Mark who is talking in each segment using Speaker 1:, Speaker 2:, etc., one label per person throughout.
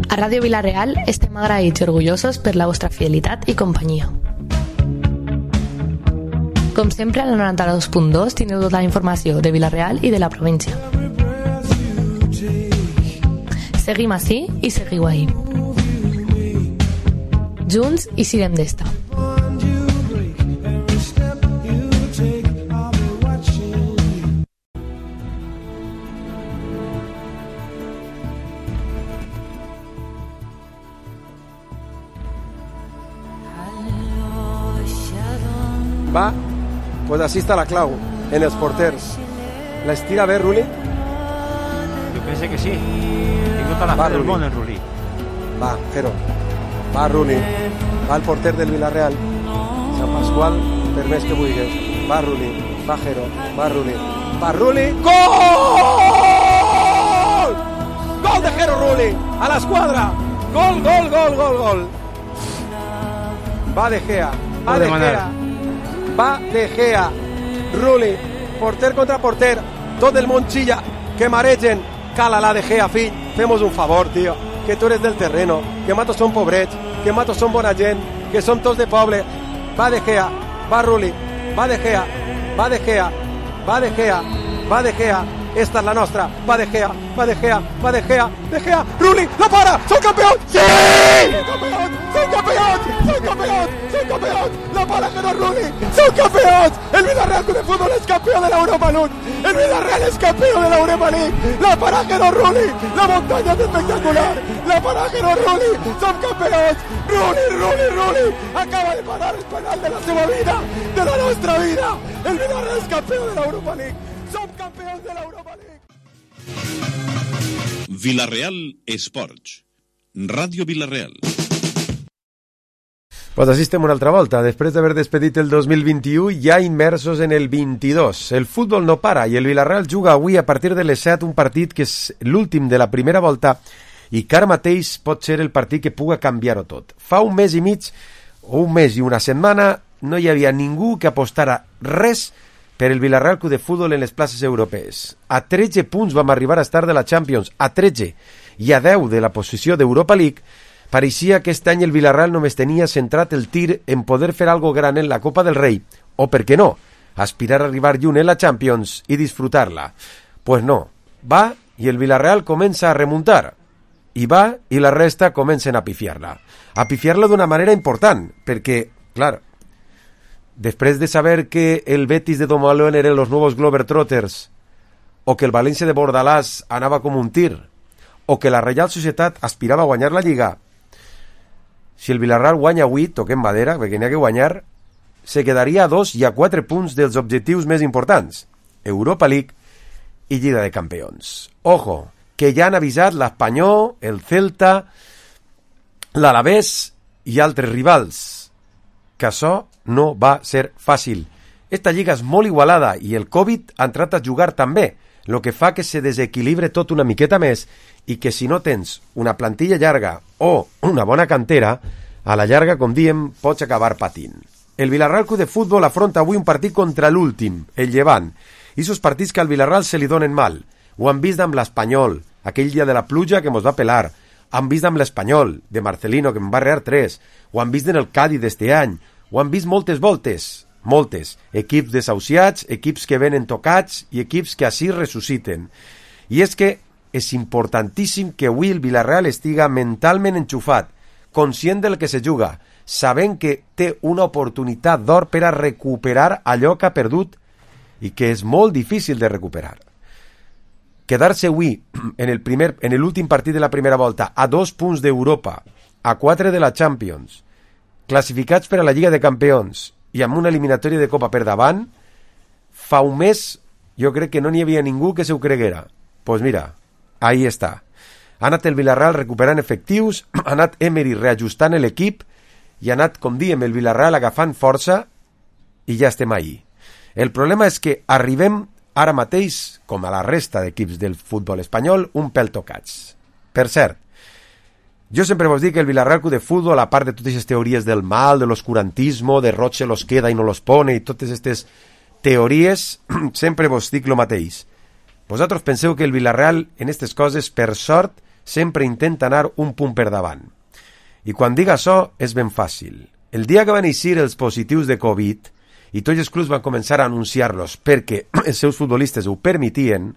Speaker 1: A Ràdio Vila-real estem agraïts i orgullosos per la vostra fidelitat i companyia. Com sempre, a la 92.2 tindreu tota la informació de Vila-real i de la província. Seguim ací i seguiu ahí. Junts i siguem d'esta.
Speaker 2: Va, pues així està la clau, en els porters. L'estira bé, Ruli?
Speaker 3: Jo penso que sí. Tinc tota la fe del món en Ruli.
Speaker 2: Va, Jero. Va, Ruli. Va el porter del Villarreal. Sant Pasqual, per més que vulguis. Va, Ruli. Va, Jero. Va, Ruli. Va, Ruli. Gol! Gol de Jero Ruli. A l'esquadra. Gol, gol, gol, gol, gol. Va De Gea. Va De Gea. Va De Gea. Ruli. Porter contra porter. Tot el món xilla. Que maregen. Cala la De Gea, fill. Femos un favor, tío. Que tú eres del terreno. Que matos son pobrets. Que matos son bona gent. Que som tots de poble. Va De Gea. Va Ruli. Va De Gea. Va De Gea. Va De Gea. Va De Gea. Esta es la nostra. Va De Gea. Va De Gea. Va De Gea. De Gea. Ruli. ¡La para! ¡Son campeón! ¡Sí! ¡Son campeón! ¡Son campeón! ¡Son campeón! ¡Son campeón! ¡La para Jero Ruli! ¡Son campeón! ¡El Villarreal Club de Fútbol es campeón de la Europa League! ¡El Villarreal es campeón de la Europa League! ¡La para Jero Ruli! ¡La montaña es espectacular! ¡La para Jero Ruli! ¡Son campeones! ¡Ruli, Ruli, Ruli! ¡Acaba de parar el penal de la seva vida! ¡De la nuestra vida! ¡El Villarreal es campeón de la Europa League! ¡Som campeons de l'Europa League!
Speaker 4: Vila-real Esports. Ràdio Vila-real.
Speaker 2: Pues així estem una altra volta. Després d'haver despedit el 2021, ja immersos en el 22. El futbol no para i el Villarreal juga avui a partir de les 7 un partit que és l'últim de la primera volta i que ara mateix pot ser el partit que puga canviar-ho tot. Fa un mes i mig, o un mes i una setmana, no hi havia ningú que apostara res per el Villarreal Club de Futbol en les places europees. A 13 punts vam arribar a estar de la Champions, a 13, i a 10 de la posició d'Europa League. Pareixia que aquest any el Villarreal només tenia centrat el tir en poder fer algo gran en la Copa del Rei, o, per què no, aspirar a arribar lluny en la Champions i disfrutar-la. Pues no, va i el Villarreal comença a remuntar, i va i la resta comencen a pifiar-la. A pifiar-la d'una manera important, perquè, clar, després de saber que el Betis de Domalón eren los nuevos Globetrotters, o que el València de Bordalàs anava com un tir, o que la Reial Societat aspirava a guanyar la Lliga, si el Villarreal guanya avui, toquem madera, perquè n'hi ha que guanyar, se quedaria a 2 i a 4 punts dels objectius més importants, Europa League i Lliga de Campions. Ojo, que ja han avisat l'Espanyol, el Celta, l'Alavés i altres rivals, que això no va ser fàcil. Esta lliga és molt igualada i el Covid ha entrat a jugar també, el que fa que se desequilibre tot una miqueta més i que si no tens una plantilla llarga o una bona cantera, a la llarga, com diem, pots acabar patint. El Villarreal Club de Futbol afronta avui un partit contra l'últim, el Llevant, i esos partits que al Villarreal se li donen mal. Ho han vist amb l'Espanyol, aquell dia de la pluja que mos va pelar, han vist amb l'Espanyol, de Marcelino, que en va rear 3, ho han vist en el Cádiz d'este any, ho han vist moltes voltes, moltes, equips desahuciats, equips que venen tocats i equips que així ressusciten. I és que és importantíssim que avui el Villarreal estiga mentalment enxufat, conscient del que se juga, sabent que té una oportunitat d'or per a recuperar allò que ha perdut i que és molt difícil de recuperar. Quedar-se avui en l'últim partit de la primera volta a 2 punts d'Europa, a 4 de la Champions, classificats per a la Lliga de Campions i amb una eliminatòria de Copa per davant, fa un mes jo crec que no n'hi havia ningú que se ho creguera. Pues mira, ahí està. Ha anat el Villarreal recuperant efectius, ha anat Emery reajustant l'equip i ha anat, com diem, el Villarreal agafant força i ja estem ahí. El problema és que arribem ara mateix, com a la resta d'equips del futbol espanyol, un pèl tocats. Per cert, jo sempre vos dic que el Villarreal Club de Futbol, a part de totes aquestes teories del mal, de l'oscurantismo, de Roche los queda i no los pone, i totes aquestes teories, sempre vos dic lo mateix. Vosaltres penseu que el Villarreal, en aquestes coses, per sort, sempre intenta anar un punt per davant. I quan dic això és ben fàcil. El dia que van eixir els positius de Covid i tots els clubs van començar a anunciar-los perquè els seus futbolistes ho permetien,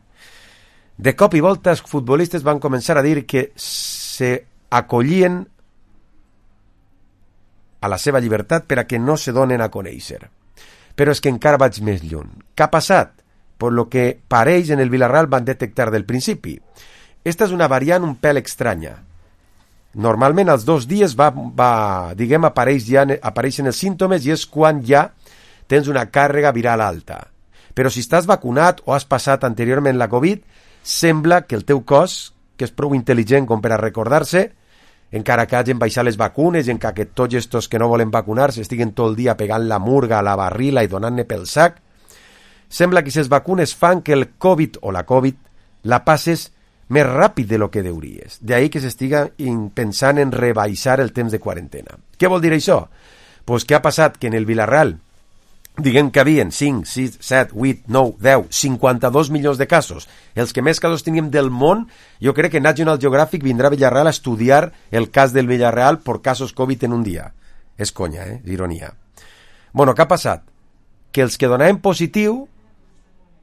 Speaker 2: de cop i volta els futbolistes van començar a dir que se acollien a la seva llibertat per a que no se donen a conèixer. Però és que encara vaig més lluny. Què ha passat? Per lo que pareix en el Villarreal van detectar del principi. Esta és una variant un pèl estranya. Normalment als 2 dies apareixen els símptomes i és quan ja tens una càrrega viral alta. Però si estàs vacunat o has passat anteriorment la Covid, sembla que el teu cos, que és prou intel·ligent com per a recordar-se, encara que hagin baixat les vacunes, encara que tots estos que no volen vacunar-se estiguen tot el dia pegant la murga a la barrila i donant-ne pel sac, sembla que les vacunes fan que el Covid o la Covid la passes més ràpid de lo que deuries. D'ahí que s'estiga pensant en rebaixar el temps de quarantena. Què vol dir això? Pues que ha passat que en el Villarreal diguem que havien 5, 6, 7, 8, 9, 10, 52 milions de casos. Els que més casos teníem del món, jo crec que National Geographic vindrà a Villarreal a estudiar el cas del Villarreal per casos Covid en un dia. És conya, és ironia. Bueno, què ha passat? Que els que donaven positiu,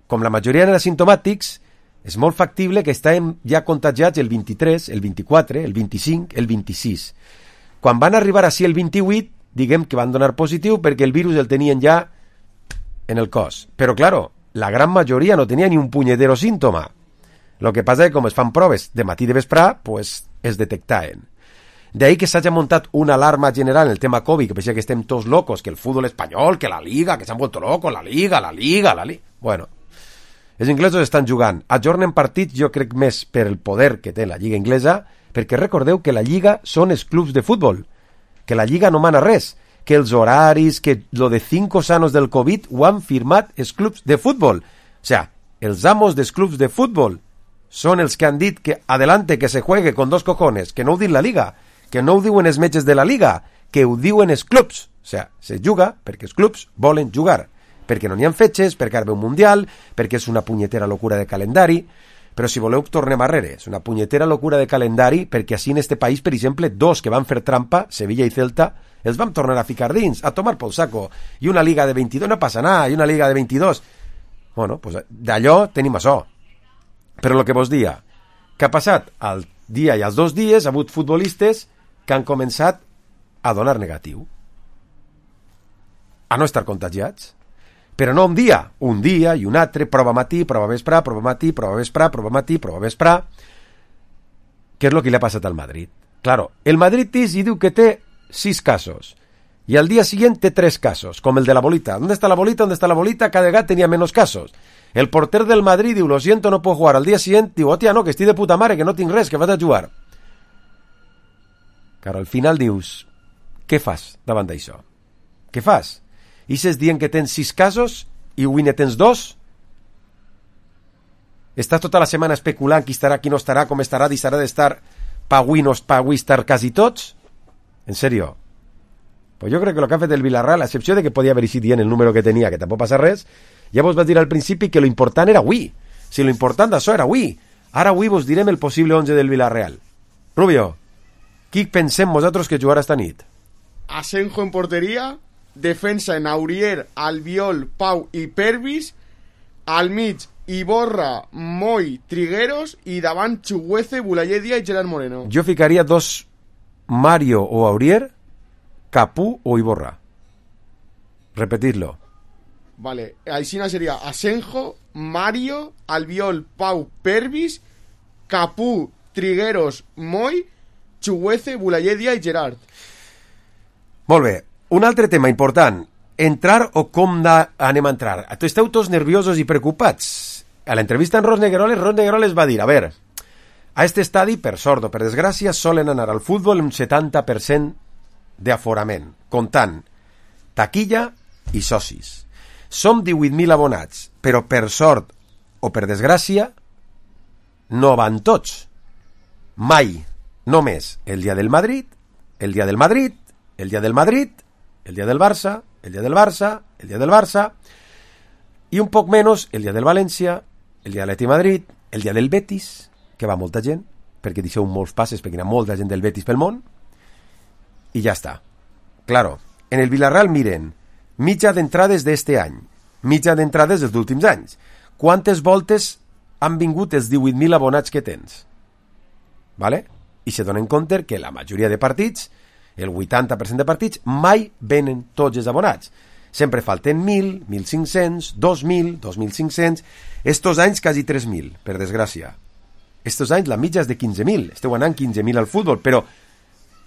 Speaker 2: com la majoria eren asimptomàtics, és molt factible que estàvem ja contagiats el 23, el 24, el 25, el 26. Quan van arribar així el 28, diguem que van donar positiu perquè el virus el tenien ja en el cos. Però, claro, la gran majoria no tenia ni un punyetero símptoma. Lo que passa és que com es fan proves de matí i de vesprà, pues es detectaven. D'ahí que s'hagi muntat una alarma general en el tema Covid, que pensa que estem tots locos, que el futbol espanyol, que la Liga, que s'han vuelto locos, la Liga. Bueno, els inglesos estan jugant. Ajornen partits, jo crec més per el poder que té la Lliga inglesa, perquè recordeu que la Lliga són els clubs de futbol, que la Lliga no mana res, que els horaris, que lo de 5 sanos del Covid ho han firmat els clubs de futbol. O sea, els amos dels clubs de futbol són els que han dit que adelante, que se juegue con 2 cojones, que no ho diu la Liga, que no ho diuen els metges de la Liga, que ho diuen els clubs. O sea, se juga perquè els clubs volen jugar, perquè no n'hi ha fetges, perquè ara ve un mundial, perquè és una punyetera locura de calendari. Però si voleu tornem arrere, és una punyetera locura de calendari perquè així en este país, per exemple, 2 que van fer trampa, Sevilla i Celta, els vam tornar a ficar dins, a tomar pel saco, i una liga de 22 no passa nada, i una liga de 22. Bueno, pues d'allò tenim això. Però el que vos dia, que ha passat al dia i als 2 dies, ha hagut futbolistes que han començat a donar negatiu, a no estar contagiats. Però no un dia i un altre, prova matí, prova vesprà, prova matí, prova vesprà, prova matí, prova vesprà. Què és el que li ha passat al Madrid? Claro, el Madrid i diu que té 6 casos, y al día siguiente 3 casos, como el de la bolita. ¿Dónde está la bolita? ¿Dónde está la bolita? Cada vez tenía menos casos. El porter del Madrid diu, lo siento, no puedo jugar. Al día siguiente diu, hòstia, no, que estic de puta mare, que no tinc res, que vaig a jugar. Claro, al final dius, què fas davant d'això? Què fas? I s'es dient que tens 6 casos i avui ne tens 2? Estàs tota la setmana especulant qui estarà, qui no estarà, com estarà, deixarà d'estar pa avui no pa avui estar quasi tots? En serio? Pues jo crec que el que ha fet el Villarreal, a excepció de que podia haver eixit dient el número que tenia, que tampoc passa res, ja vos vaig dir al principi que lo important era avui. Si lo important d'això era avui. Ara avui vos direm el possible 11 del Villarreal. Rubio, qui pensem vosaltres que jugarà esta nit?
Speaker 5: Asenjo en porteria, defensa en Aurier, Albiol, Pau i Pervis, al mig Iborra, Moy, Trigueros i davant Chuguece, Bulayedia i Gerard Moreno.
Speaker 2: Jo ficaria 2 Mario o Aurier, Capú o Iborra. Repetidlo.
Speaker 5: Vale, Aixina sería Asenjo, Mario, Albiol, Pau, Pervis, Capú, Trigueros, Moy, Chuguece, Bulayedia i Gerard.
Speaker 2: Molt bé. Un altre tema important. Entrar o com anem a entrar? Esteu tots nerviosos i preocupats. A l'entrevista en Ros Negroles va dir, a ver, a este estadi, per sort o per desgràcia, solen anar al futbol un 70% d'aforament, comptant taquilla i socis. Som 18.000 abonats, però per sort o per desgràcia no van tots. Mai, només el dia del Madrid, el dia del Madrid, el dia del Madrid, el dia del Barça, el dia del Barça, el dia del Barça, i un poc menys el dia del València, el dia de l'Atlètic Madrid, el dia del Betis, que va molta gent, perquè deixeu molts passes, perquè hi ha molta gent del Betis pel món, i ja està. Claro, en el Villarreal miren mitja d'entrades d'este any, mitja d'entrades dels últims anys. Quantes voltes han vingut els 18.000 abonats que tens? Vale? I se donen compte que la majoria de partits, el 80% de partits, mai venen tots els abonats. Sempre falten 1.000, 1.500, 2.000, 2.500... Estos anys quasi 3.000, per desgràcia. Estos anys la mitja és de 15.000. Esteu anant 15.000 al futbol, però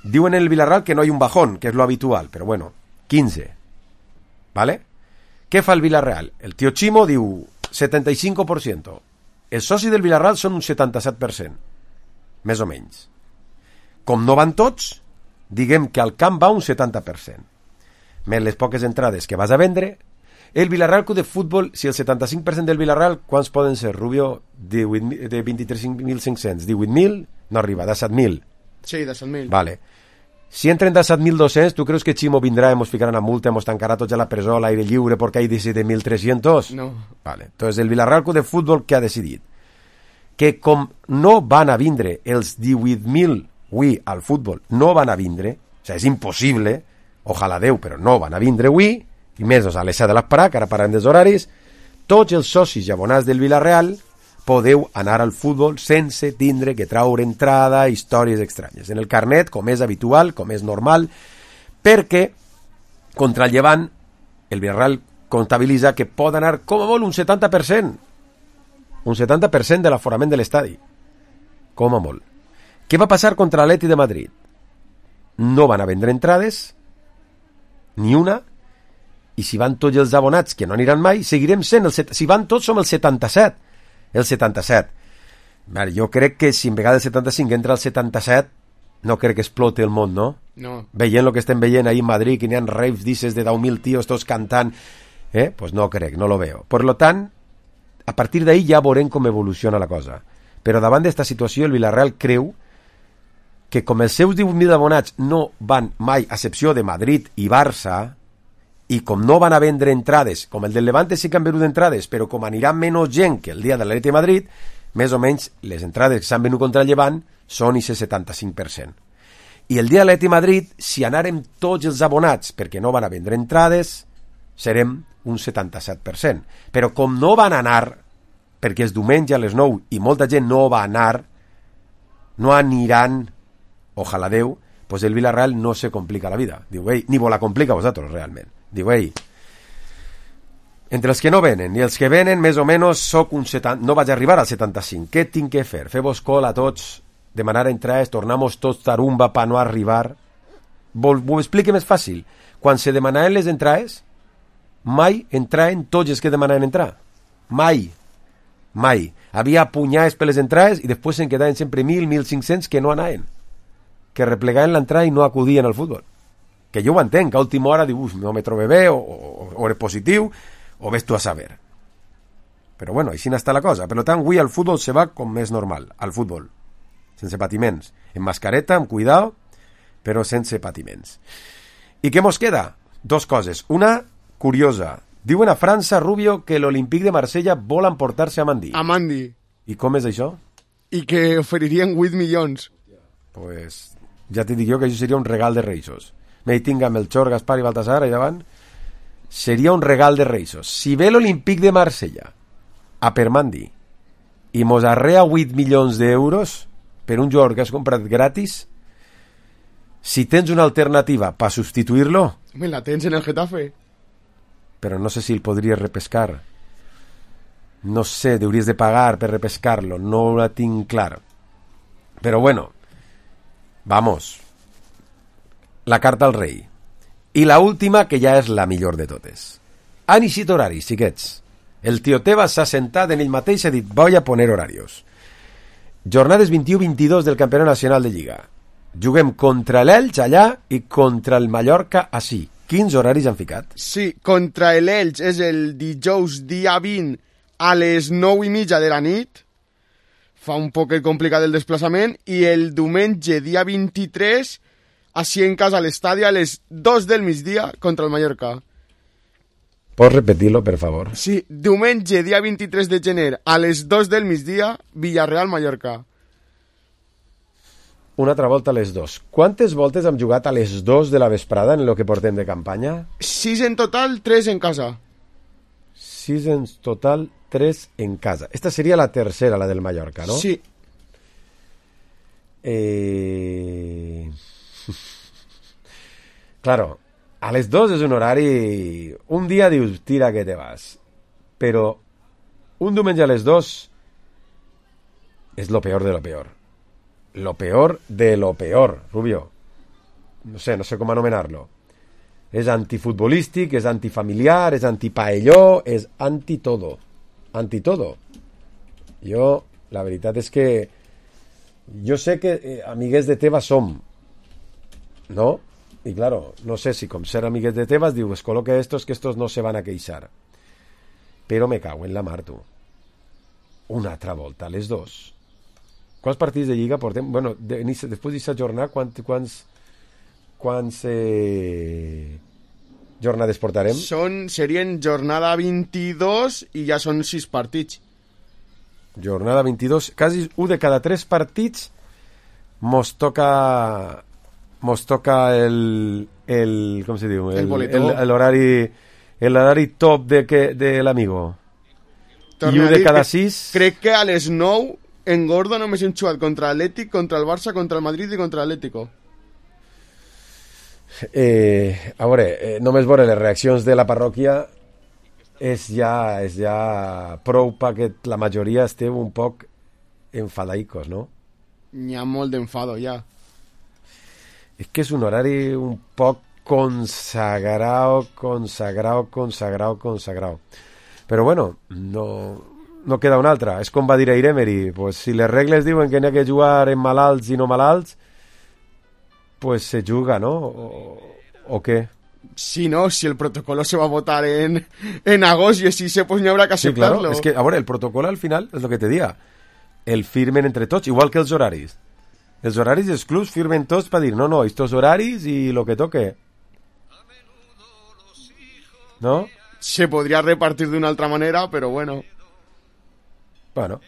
Speaker 2: diuen en el Villarreal que no hi ha un bajón, que és lo habitual, però bueno, 15. ¿Vale? Què fa el Villarreal? El tio Chimo diu 75%. Els socis del Villarreal són un 77%, més o menys. Com no van tots, diguem que al camp va un 70%. Més les poques entrades que vas a vendre, el Villarreal Club de Futbol, si el 75% del Villarreal, quants poden ser, Rubio? De 23.500, 18.000? No arriba, de 7.000.
Speaker 5: Sí, de 7.000.
Speaker 2: Vale. Si entren de 7.200, ¿tú crees que Chimo vendrá, nos ficarán a multa, nos tancará tots a la presó al aire lliure porque hay 17.300?
Speaker 5: No.
Speaker 2: Vale. Entonces el Villarreal Club de Futbol què ha decidit? Que com no van a vindre els 18.000 avui al futbol, no van a vindre, o sigui, és impossible, ojalà Déu, però no van a vindre avui, i més a les 7 de l'esperà, que ara parlem dels horaris, tots els socis i abonats del Villarreal podeu anar al futbol sense tindre que traure entrada, històries estranyes. En el carnet, com és habitual, com és normal, perquè contra el Llevant el Villarreal comptabilitza que pot anar com a molt un 70%. Un 70% de l'aforament de l'estadi. Com a molt. Què va passar contra l'Atleti de Madrid? No van a vendre entrades, ni una, i si van tots els abonats, que no aniran mai, seguirem sent si van tots som el 77. El 77. Vale, jo crec que si en vegada el 75 entra el 77, no crec que explote el món, no?
Speaker 5: No.
Speaker 2: Veient el que estem veient ahí en Madrid, que n'hi ha raves dices de 10.000 tios tots cantant, pues no crec, no lo veo. Per lo tant, a partir d'ahí ja veurem com evoluciona la cosa. Però davant d'esta situació el Villarreal creu que com els seus 18.000 abonats no van mai, a excepció de Madrid i Barça, i com no van a vendre entrades, com el del Levante sí que han venut entrades, però com anirà menys gent que el dia de l'Atleti de Madrid, més o menys les entrades que s'han venut contra el Llevant són i 75%. I el dia de l'Atleti de Madrid, si anàrem tots els abonats perquè no van a vendre entrades, serem un 77%. Però com no van anar, perquè és diumenge a les 9 i molta gent no va anar, no aniran, ojalà Déu, pues el Villarreal no se complica la vida. Diu, ei, ni vos la complica a vosaltres, realment. Diu, ei, entre els que no venen i els que venen, més o menys soc un 70, no vaig arribar al 75. Què tinc que fer? Fer-vos col a tots, demanar entrades, tornamos tots tarumba per no arribar? Ho explique més fàcil. Quan se demanaven les entrades, mai entraven tots els que demanaven entrar. Mai. Mai. Havia punyades per les entrades i després se'n quedaven sempre 1.000, 1.500 que no anaven. Que replegaven l'entrada i no acudien al futbol. Que jo ho entenc, que a última hora dius, no me trobe bé, o eres positiu, o ves tu a saber. Però bueno, així n'està la cosa. Per tant, avui al futbol se va com més normal, al futbol. Sense patiments. En mascareta, amb cuidado, però sense patiments. I què mos queda? Dos coses. Una, curiosa. Diuen a França, Rubio, que l'Olympique de Marsella vol emportar-se a Mandi.
Speaker 5: A Mandi.
Speaker 2: I com és això?
Speaker 5: I que oferirien 8 milions.
Speaker 2: Pues ja t'he dit jo que això seria un regal de Reixos. Me tinga Melchor, Gaspar i Baltasar allà davant. Seria un regal de Reixos. Si ve l'Olympique de Marsella a per Mandi i mos arrea 8 milions d'euros per un jugador que has comprat gratis, si tens una alternativa per substituir-lo...
Speaker 5: Me la tens en el Getafe.
Speaker 2: Però no sé si el podries repescar. No sé, hauries de pagar per repescar-lo. No la tinc clar. Però bueno, vamos. La carta al rei. I la última, que ja és la millor de totes. Han eixit horaris, xiquets. El tio Tebas s'ha sentat en ell mateix i ha dit, voy a poner horarios. Jornades 21-22 del Campionat Nacional de Lliga. Juguem contra l'Elx allà i contra el Mallorca ací. Quins horaris han ficat?
Speaker 5: Sí, contra l'Elx és el dijous dia 20 a les 9:30 de la nit. Fa un poquet complicat el desplaçament. I el diumenge dia 23 així en casa a l'estadi a les 2 del migdia contra el Mallorca.
Speaker 2: Pots repetir-lo, per favor?
Speaker 5: Sí, diumenge, dia 23 de gener, a les 2 del migdia, Villarreal-Mallorca.
Speaker 2: una altra volta a les 2. Quantes voltes hem jugat a les 2 de la vesprada en el que portem de campanya?
Speaker 5: 6 en total, 3 en casa.
Speaker 2: 6 en total, 3 en casa. Esta seria la tercera, la del Mallorca, ¿no?
Speaker 5: Sí.
Speaker 2: Claro, a les 2 és un horari... Un dia dius, tira que te vas. Però un diumenge a les 2 és lo peor de lo peor. Lo peor de lo peor, Rubio. No sé com anomenar-lo. És antifutbolístic, és antifamiliar, és antipaelló, és antitodo. Antitodo. Jo, la veritat és que... Jo sé que amiguets de Tebas som, ¿no? Y claro, no sé si com ser amiguets de Tebas diu, es coloque estos que estos no se van a queixar. Però me cago en la mar, tu. Una altra volta, a les 2. Quants partits de Lliga portem? Bueno, després d'aquesta jornada, quants jornades portarem?
Speaker 5: Serien jornada 22 i ja són 6 partits.
Speaker 2: Jornada 22, quasi 1 de cada 3 partits mos toca el com se diu? L'horari top de l'amigo. I 1 de cada 6...
Speaker 5: Crec que a les 9 engordo només hem jugat contra l'Atlètic, contra el Barça, contra el Madrid i contra l'Atlético.
Speaker 2: A veure, només veure les reaccions de la parròquia és ja prou perquè la majoria esteu un poc enfadaicos, no?
Speaker 5: N'hi ha molt d'enfado, ja.
Speaker 2: És que és un horari un poc consagrado. Però bueno, no queda una altra. És com va dir Emery, pues si les regles diuen que n'hi ha que jugar en malalts i no malalts, pues se juga, ¿no? ¿O qué?
Speaker 5: Sí, no, si el protocolo se va a votar en agosto y así pues no habrá que aceptarlo.
Speaker 2: Sí, claro. Es que, a ver, el protocolo al final es lo que te diga. El firmen entre tots, igual que els horaris. Els horaris dels clubs firmen tots per dir, no, estos horaris y lo que toque. ¿No?
Speaker 5: Se podría repartir de una otra manera, pero bueno.
Speaker 2: Bueno.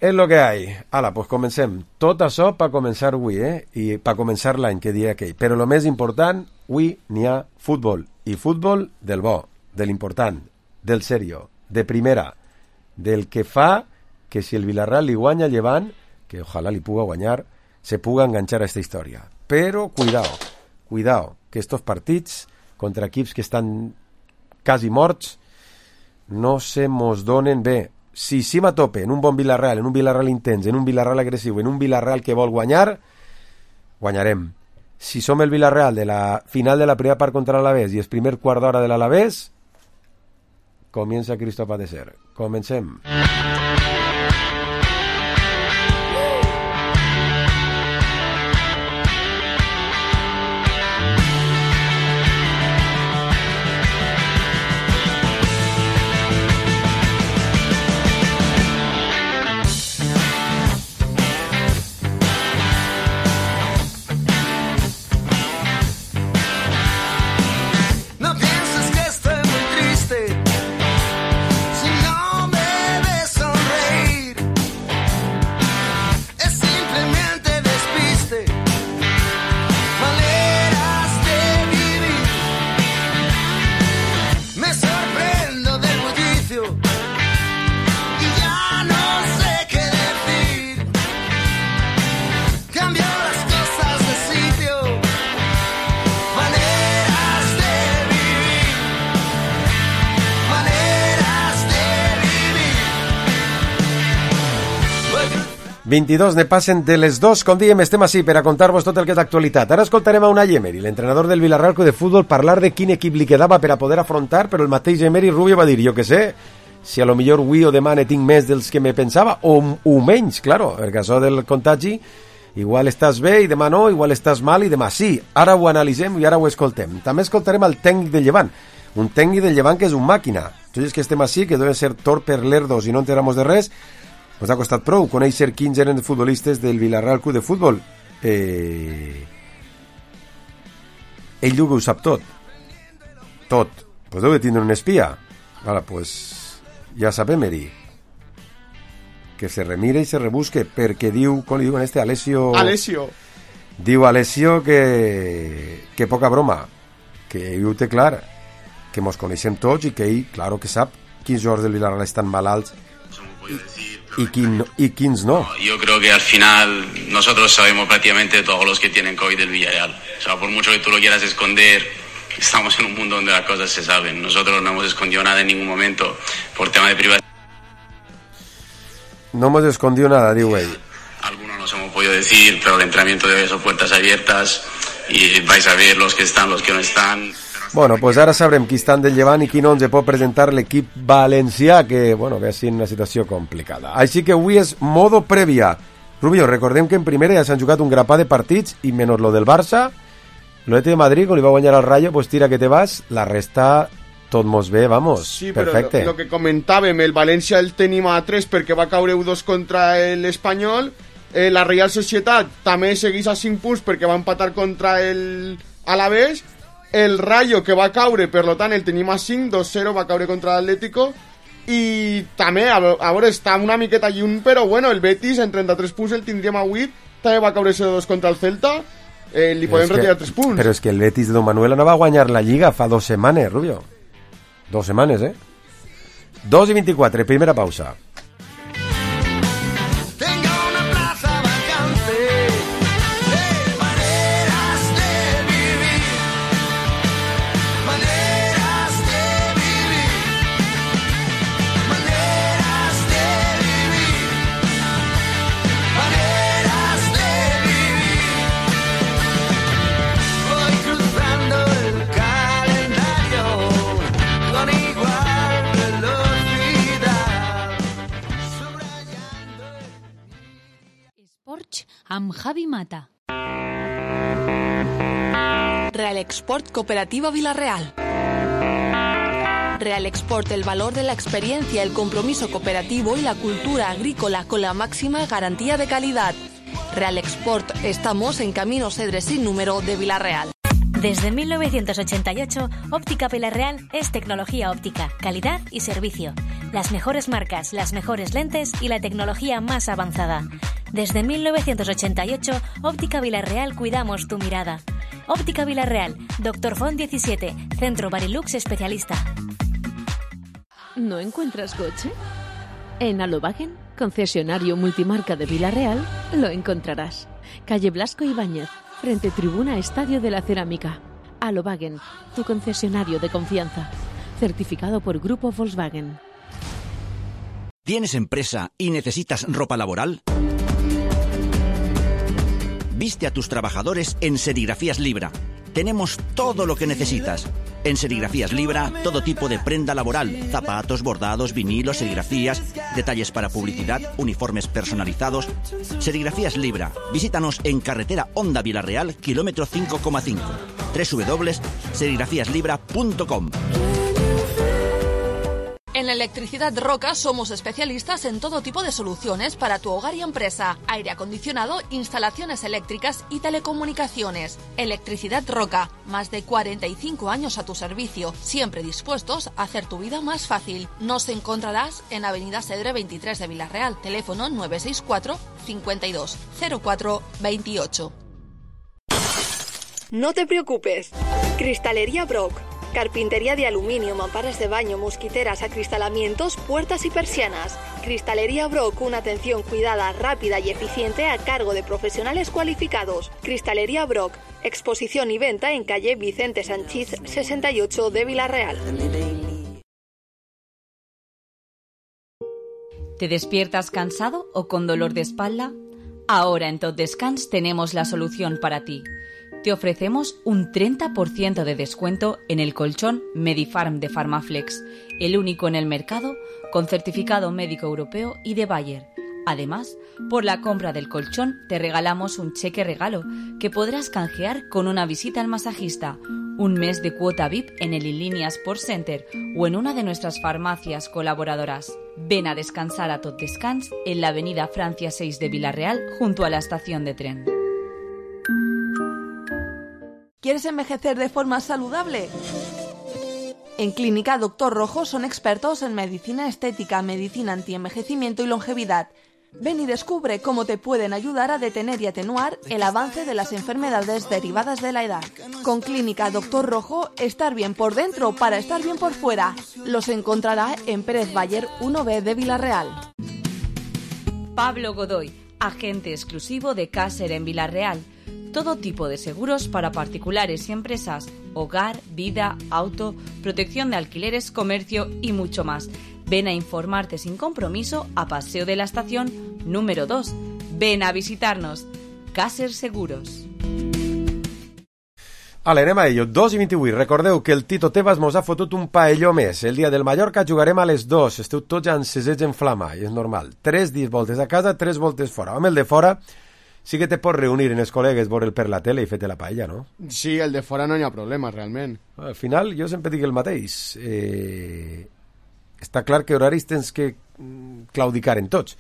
Speaker 2: És lo que hay. Ala, pues comencem. Tot això per començar avui, I per començar l'any, que dia aquell. Però el més important, avui n'hi ha futbol. I futbol del bo, de l'important, del serio, de primera, del que fa que si el Villarreal li guanya Llevant, que ojalà li puga guanyar, se puga enganxar a aquesta història. Però cuidao, que estos partits contra equips que estan quasi morts no se mos donen bé. Si sim a tope en un bon Villarreal, en un Villarreal intens, en un Villarreal agressiu, en un Villarreal que vol guanyar, guanyarem. Si som el Villarreal de la final de la primera part contra l'Alavés i el primer quart d'hora de l'Alavés, comienza Cristo a padecer. Comencem. ...22 ne passen de les 2, com dèiem, estem així per a contar-vos tot el que és d'actualitat. Ara escoltarem a Unai Emery, l'entrenador del Villarreal Club de Futbol, parlar de quin equip li quedava per a poder afrontar, però el mateix Emery Rubio va dir, jo que sé, si a lo millor avui o demà ne tinc més dels que me pensava, o menys, claro, perquè això del contagi, igual estàs bé i demà no, igual estàs mal i demà sí. Ara ho analitzem i ara ho escoltem. També escoltarem el tècnic del Llevant, un tècnic del Llevant que és un màquina. Tots els que estem així, que deuen ser torper lerdos i no enteramos de res, ens ha costat prou conèixer quins eren els futbolistes del Villarreal Club de Futbol. Ell diu que ho sap tot. Pues deu de tindre un espia. Vale, pues ja sap Emery que se remire i se rebusque, perquè diu, com li diuen Alessio... Diu Alessio que poca broma, que ell ho té clar, que mos coneixem tots i que ell, claro que sap quins jugadors del Villarreal estan malalts y quins no.
Speaker 6: Yo creo que al final nosotros sabemos prácticamente todos los que tienen COVID del Villarreal. O sea, por mucho que tú lo quieras esconder, estamos en un mundo donde las cosas se saben. Nosotros no hemos escondido nada en ningún momento por tema de privacidad.
Speaker 2: No hemos escondido nada, digo ell.
Speaker 6: Algunos nos hemos podido decir, pero el entrenamiento de hoy son puertas abiertas y vais a ver los que están, los que no están.
Speaker 2: Bueno, pues ara sabrem qui estan del Llevant i qui no ens pot presentar l'equip valencià, que, bueno, ve sent una situació complicada. Així que avui és modo prèvia. Rubio, recordem que en primera ja s'han jugat un grapà de partits i menys lo del Barça, l'Atleti de Madrid, quan li va guanyar al Rayo, pues tira que te vas, la resta tot mos ve, vamos,
Speaker 5: sí,
Speaker 2: perfecte.
Speaker 5: Però lo que comentàvem, el València el tenim a 3 perquè va caure 1-2 contra l'Espanyol, la Real Societat també segueix a 5 punts perquè va empatar contra el Alavés, el Rayo que va caure, per lo tant el tenim a 5, 2-0 va caure contra l'Atlético, i també, a veure, està una miqueta lluny, però bueno, el Betis en 33 punts el tindríem a 8, també va caure 0-2 contra el Celta, li podem retirar 3 punts.
Speaker 2: Però és que el Betis de Don Manuel no va guanyar la Lliga fa 2 setmanes, Rubio. 2 setmanes, 2:24, primera pausa.
Speaker 7: amb Javi Mata.
Speaker 8: Real Export Cooperativa Villarreal. Real Export, el valor de la experiencia, el compromiso cooperativo y la cultura agrícola con la máxima garantía de calidad. Real Export, estamos en Camino Cedres sin número de Villarreal.
Speaker 7: Desde 1988, Óptica Villarreal es tecnología óptica, calidad y servicio. Las mejores marcas, las mejores lentes y la tecnología más avanzada. Desde 1988, Óptica Villarreal cuidamos tu mirada. Óptica Villarreal, Dr. Font 17, Centro Barilux Especialista.
Speaker 9: ¿No encuentras coche? En Alobagen, concesionario multimarca de Villarreal, lo encontrarás. Calle Blasco Ibáñez, frente Tribuna Estadio de la Cerámica. Alobagen, tu concesionario de confianza. Certificado por Grupo Volkswagen.
Speaker 10: ¿Tienes empresa y necesitas ropa laboral? Viste a tus trabajadores en Serigrafías Libra. Tenemos todo lo que necesitas. En Serigrafías Libra, todo tipo de prenda laboral, zapatos, bordados, vinilos, serigrafías, detalles para publicidad, uniformes personalizados. Serigrafías Libra. Visítanos en carretera Honda Villarreal, kilómetro 5,5. www.serigrafiaslibra.com.
Speaker 8: En Electricidad Roca somos especialistas en todo tipo de soluciones para tu hogar y empresa, aire acondicionado, instalaciones eléctricas y telecomunicaciones. Electricidad Roca, más de 45 años a tu servicio, siempre dispuestos a hacer tu vida más fácil. Nos encontrarás en Avenida Cedre 23 de Villarreal, teléfono 964 52 04 28.
Speaker 11: No te preocupes, Cristalería Brock. Carpintería de aluminio, mamparas de baño, mosquiteras, acristalamientos, puertas y persianas. Cristalería Brock, una atención cuidada, rápida y eficiente a cargo de profesionales cualificados. Cristalería Brock, exposición y venta en calle Vicente Sanchís 68 de Villarreal.
Speaker 12: ¿Te despiertas cansado o con dolor de espalda? Ahora en Tot Descans tenemos la solución para ti. Te ofrecemos un 30% de descuento en el colchón Medifarm de Farmaflex, el único en el mercado con certificado médico europeo y de Bayer. Además, por la compra del colchón te regalamos un cheque regalo que podrás canjear con una visita al masajista, un mes de cuota VIP en el Inlínea Sports Center o en una de nuestras farmacias colaboradoras. Ven a descansar a Tot Descans en la avenida Francia 6 de Villarreal junto a la estación de tren.
Speaker 8: ¿Quieres envejecer de forma saludable? En Clínica Doctor Rojo son expertos en medicina estética, medicina antienvejecimiento y longevidad. Ven y descubre cómo te pueden ayudar a detener y atenuar el avance de las enfermedades derivadas de la edad. Con Clínica Doctor Rojo, estar bien por dentro para estar bien por fuera. Los encontrará en Pérez Bayer 1B de Villarreal.
Speaker 12: Pablo Godoy, agente exclusivo de Caser en Villarreal. Todo tipo de seguros para particulares y empresas, hogar, vida, auto, protección de alquileres, comercio y mucho más. Ven a informarte sin compromiso a Paseo de la Estación número 2. Ven a visitarnos. Caser Seguros.
Speaker 2: Ale, anem a ello. 2:28. Recordeu que el Tito Tebas mos ha fotut un paelló més. El dia del Mallorca jugarem a les 2. Esteu tots encesets en flama, i és normal. 3 voltes a casa, 3 voltes fora. Amb el de fora sí que te pots reunir en els col·legues, veure'l per la tele i fer-te la paella, no?
Speaker 5: Sí, el de fora no hi ha problema, realment.
Speaker 2: Al final, jo sempre dic el mateix. Està clar que horaris tens que claudicar en tots.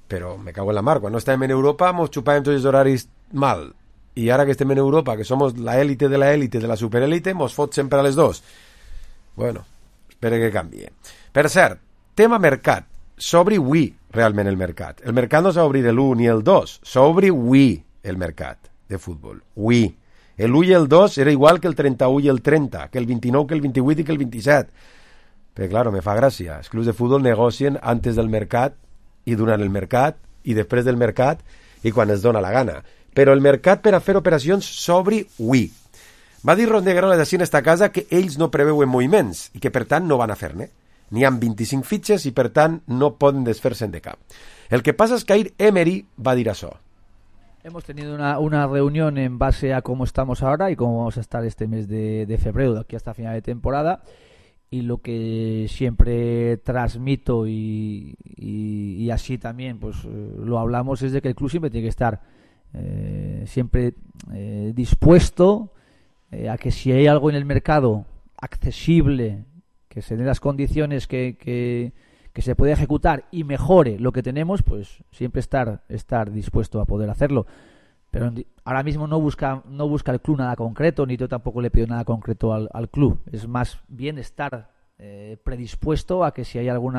Speaker 2: Però me cago en la mar. Quan no estàvem en Europa, mos xupàvem tots els horaris mal. I ara que estem en Europa, que som la élite de la superélite, mos fot sempre a les 2. Bueno, espero que canvie. Per cert, tema mercat. S'obri avui realment el mercat. El mercat no s'ha obrir l'1 ni el 2. S'obri avui el mercat de futbol. Avui. L'1 i el 2 era igual que el 31 i el 30, que el 29, que el 28 i que el 27. Però, claro, me fa gràcia. Els clubs de futbol negocien antes del mercat i durant el mercat i després del mercat i quan es dona la gana. Però el mercat per a fer operacions s'obri avui. Va dir Ron de Guerola d'ací en esta casa que ells no preveuen moviments i que, per tant, no van a fer-ne. N'hi ha 25 fitxes i, per tant, no poden desfer-se'n de cap. El que passa és que ahir Emery va dir això.
Speaker 13: Hemos tenido una reunión en base a cómo estamos ahora y cómo vamos a estar este mes de febrero, de aquí hasta final de temporada. Y lo que siempre transmito y así también pues lo hablamos es de que el club siempre tiene que estar siempre dispuesto a que si hay algo en el mercado accesible, que se den las condiciones que se puede ejecutar y mejore lo que tenemos, pues siempre estar dispuesto a poder hacerlo. Pero ahora mismo no busca el club nada concreto, ni yo tampoco le pido nada concreto al club. Es más bien estar predispuesto a que si hay algo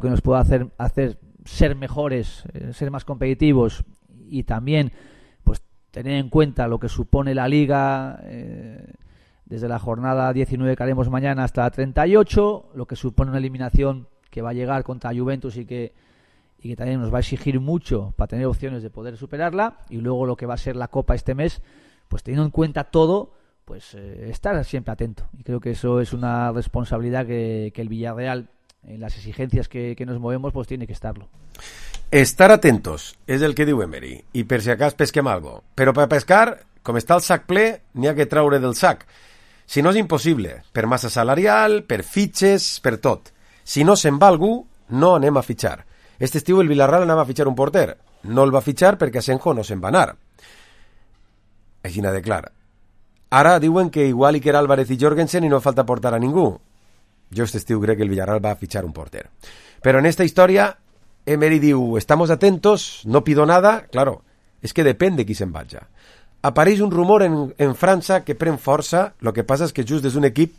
Speaker 13: que nos pueda hacer ser mejores, ser más competitivos y también pues tener en cuenta lo que supone la Liga desde la jornada 19 que haremos mañana hasta la 38, lo que supone una eliminación que va a llegar contra Juventus y que también nos va a exigir mucho para tener opciones de poder superarla, y luego lo que va a ser la Copa este mes, pues teniendo en cuenta todo, pues estar siempre atento. Y creo que eso es una responsabilidad que el Villarreal, en las exigencias que nos movemos, pues tiene que estarlo.
Speaker 2: Estar atentos és el que diu Emery, i per si acas pesquem algo. Però per pescar, com està el sac ple, n'hi ha que traure del sac. Si no és impossible, per massa salarial, per fitxes, per tot. Si no se'n va algú, no anem a fitxar. Este estiu el Villarreal anava a fitxar un porter. No el va fitxar perquè Asenjo no se'n va anar. Així de clar. Ara diuen que igual Iker Álvarez i Jorgensen i no falta portar a ningú. Jo este estiu crec que el Villarreal va a fitxar un porter. Però en esta història, Emery diu, estamos atentos, no pido nada. Claro, és que depèn de qui se'n vaja. Apareix un rumor en França que pren força. Lo que passa és que just és un equip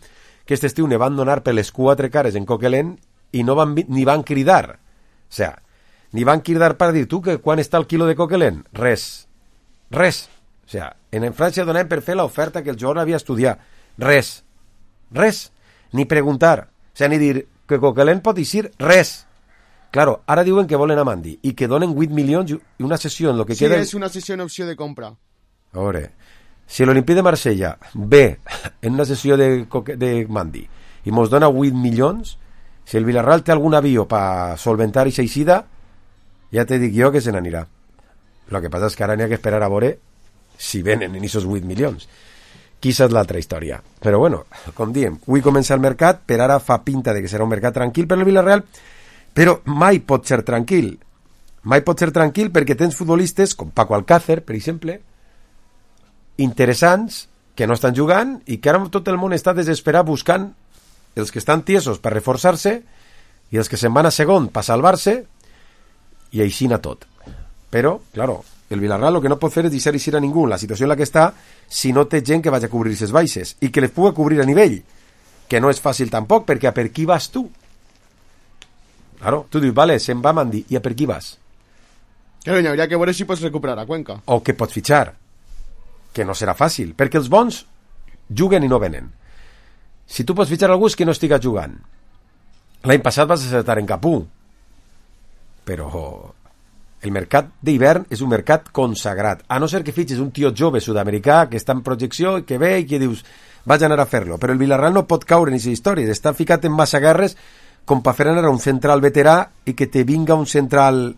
Speaker 2: que este estiu ne van donar per les 4 cares en Coquelin i no ni van cridar. O sea, ni van cridar per dir tu que quan està el quilo de Coquelin? Res. O sea, en França donaven per fer l'oferta que el jugador havia estudiat. Res. Ni preguntar. O sea, ni dir que Coquelin pot eixir. Res. Claro, ara diuen que volen a Mandi i que donen 8 milions i una sessió en lo que
Speaker 5: sí,
Speaker 2: queda...
Speaker 5: Sí, és una sessió en opció de compra.
Speaker 2: A veure, si l'Olimpí de Marsella ve en una sessió de Mandi i mos dona 8 milions, si el Villarreal té algun avió per solventar i s'eixida, ja te dic jo que se n'anirà. Lo que passa és que ara n'hi ha que esperar a veure si venen en aquests 8 milions. Quizá és l'altra història. Però bueno, com diem, avui comença el mercat, per ara fa pinta de que serà un mercat tranquil per el Villarreal, però mai pot ser tranquil. Mai pot ser tranquil perquè tens futbolistes com Paco Alcácer, per exemple, interessants, que no estan jugant i que ara tot el món està desesperat buscant els que estan tiesos per reforçar-se i els que se'n van a segon per salvar-se, i aixina tot. Però, claro, el Villarreal el que no pot fer és deixar eixir a ningú en la situació en la que està si no té gent que vagi a cobrir ses baixes i que les pugui cobrir a nivell, que no és fàcil tampoc, perquè a per qui vas tu? Claro, tu dius, vale, se'n va Mandy, i a per qui vas?
Speaker 5: Claro, hi hauria que veure si pots recuperar a Cuenca.
Speaker 2: O que pots fitxar, que no serà fàcil, perquè els bons juguen i no venen. Si tu pots fitxar algú que no estiga jugant. L'any passat vas acertar en Capú, però el mercat d'hivern és un mercat consagrat, a no ser que fitxes un tio jove sud-americà que està en projecció i que ve i que dius vaig anar a fer-lo, però el Villarreal no pot caure en aquesta història, està ficat en massa guerres com per fer anar a un central veterà i que te vinga un central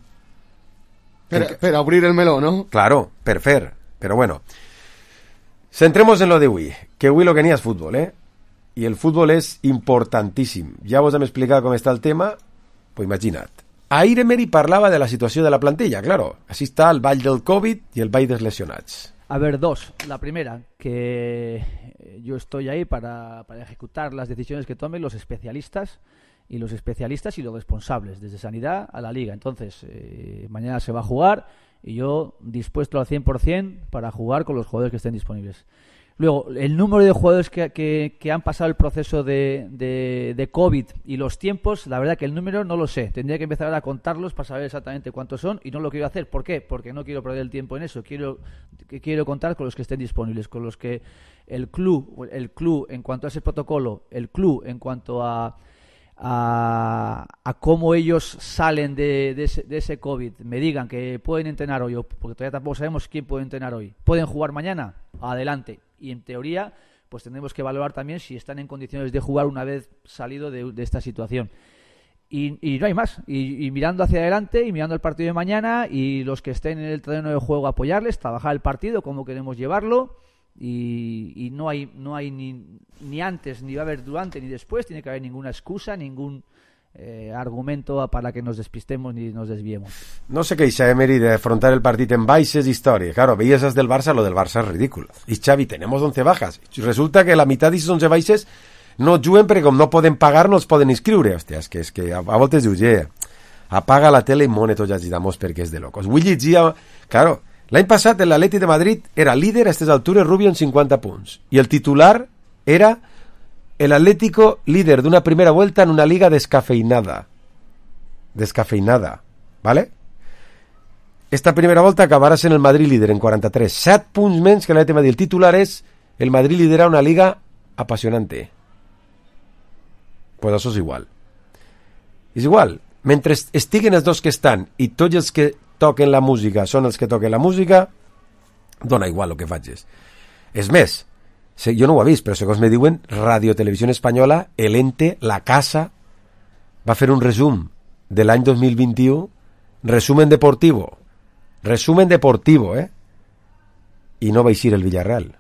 Speaker 5: per obrir el meló, ¿no?
Speaker 2: Claro, per fer, però bueno. Centremos en lo de avui, que avui lo que n'hi és futbol, i el futbol és importantíssim. Ja vos hem explicat com està el tema, pues imagina't. Ahir Emery parlava de la situació de la plantilla, claro. Així està el ball del Covid i el ball dels lesionats.
Speaker 13: A ver, dos. La primera, que yo estoy ahí para ejecutar las decisiones que tomen los especialistas y los responsables, desde Sanidad a la Liga. Entonces, mañana se va a jugar y yo dispuesto al 100% para jugar con los jugadores que estén disponibles. Luego, el número de jugadores que han pasado el proceso de COVID y los tiempos, la verdad que el número no lo sé. Tendría que empezar a contarlos para saber exactamente cuántos son y no lo quiero hacer. ¿Por qué? Porque no quiero perder el tiempo en eso. Quiero contar con los que estén disponibles, con los que el club en cuanto a ese protocolo, el club en cuanto a cómo ellos salen de ese COVID, me digan que pueden entrenar hoy, porque todavía tampoco sabemos quién puede entrenar hoy. ¿Pueden jugar mañana? Adelante. Y en teoría, pues tendremos que evaluar también si están en condiciones de jugar una vez salido de esta situación. Y no hay más. Y mirando hacia adelante y mirando el partido de mañana y los que estén en el terreno de juego apoyarles, trabajar el partido, cómo queremos llevarlo. Y no hay ni antes, ni va a haber durante, ni después. Tiene que haber ninguna excusa, ningún argumento para que nos despistemos ni nos desviemos.
Speaker 2: No sé què dice Emery de afrontar el partit en baixes història. Claro, veías del Barça, lo del Barça es ridículo. Y Xavi, tenemos 11 bajas. Resulta que la mitad d'aquestes 11 baixes no juguen perquè com no poden pagar no els poden inscriure. Hòstia, és que a voltes dius, apaga la tele i mone tots els gitamos perquè és de locos. Vull llegir, claro, l'any passat l'Atleti de Madrid era líder a aquestes altures, Rubio en 50 punts. I el titular era el Atlético líder d'una primera vuelta en una liga descafeinada. Descafeinada, ¿vale? Esta primera volta acabarà sent el Madrid líder en 43. 7 punts menys que l'Atleti de Madrid. El titular és el Madrid lidera una liga apasionante. Pues això és igual. És igual. Mentre estiguen els dos que estan i tots els que toquen la música són els que toquen la música, dona igual el que facis. És més, jo no ho he vist, però segons me diuen, Radio Televisió Espanyola, el ente, la casa, va fer un resum de l'any 2021, resumen deportivo, i no va eixir el Villarreal.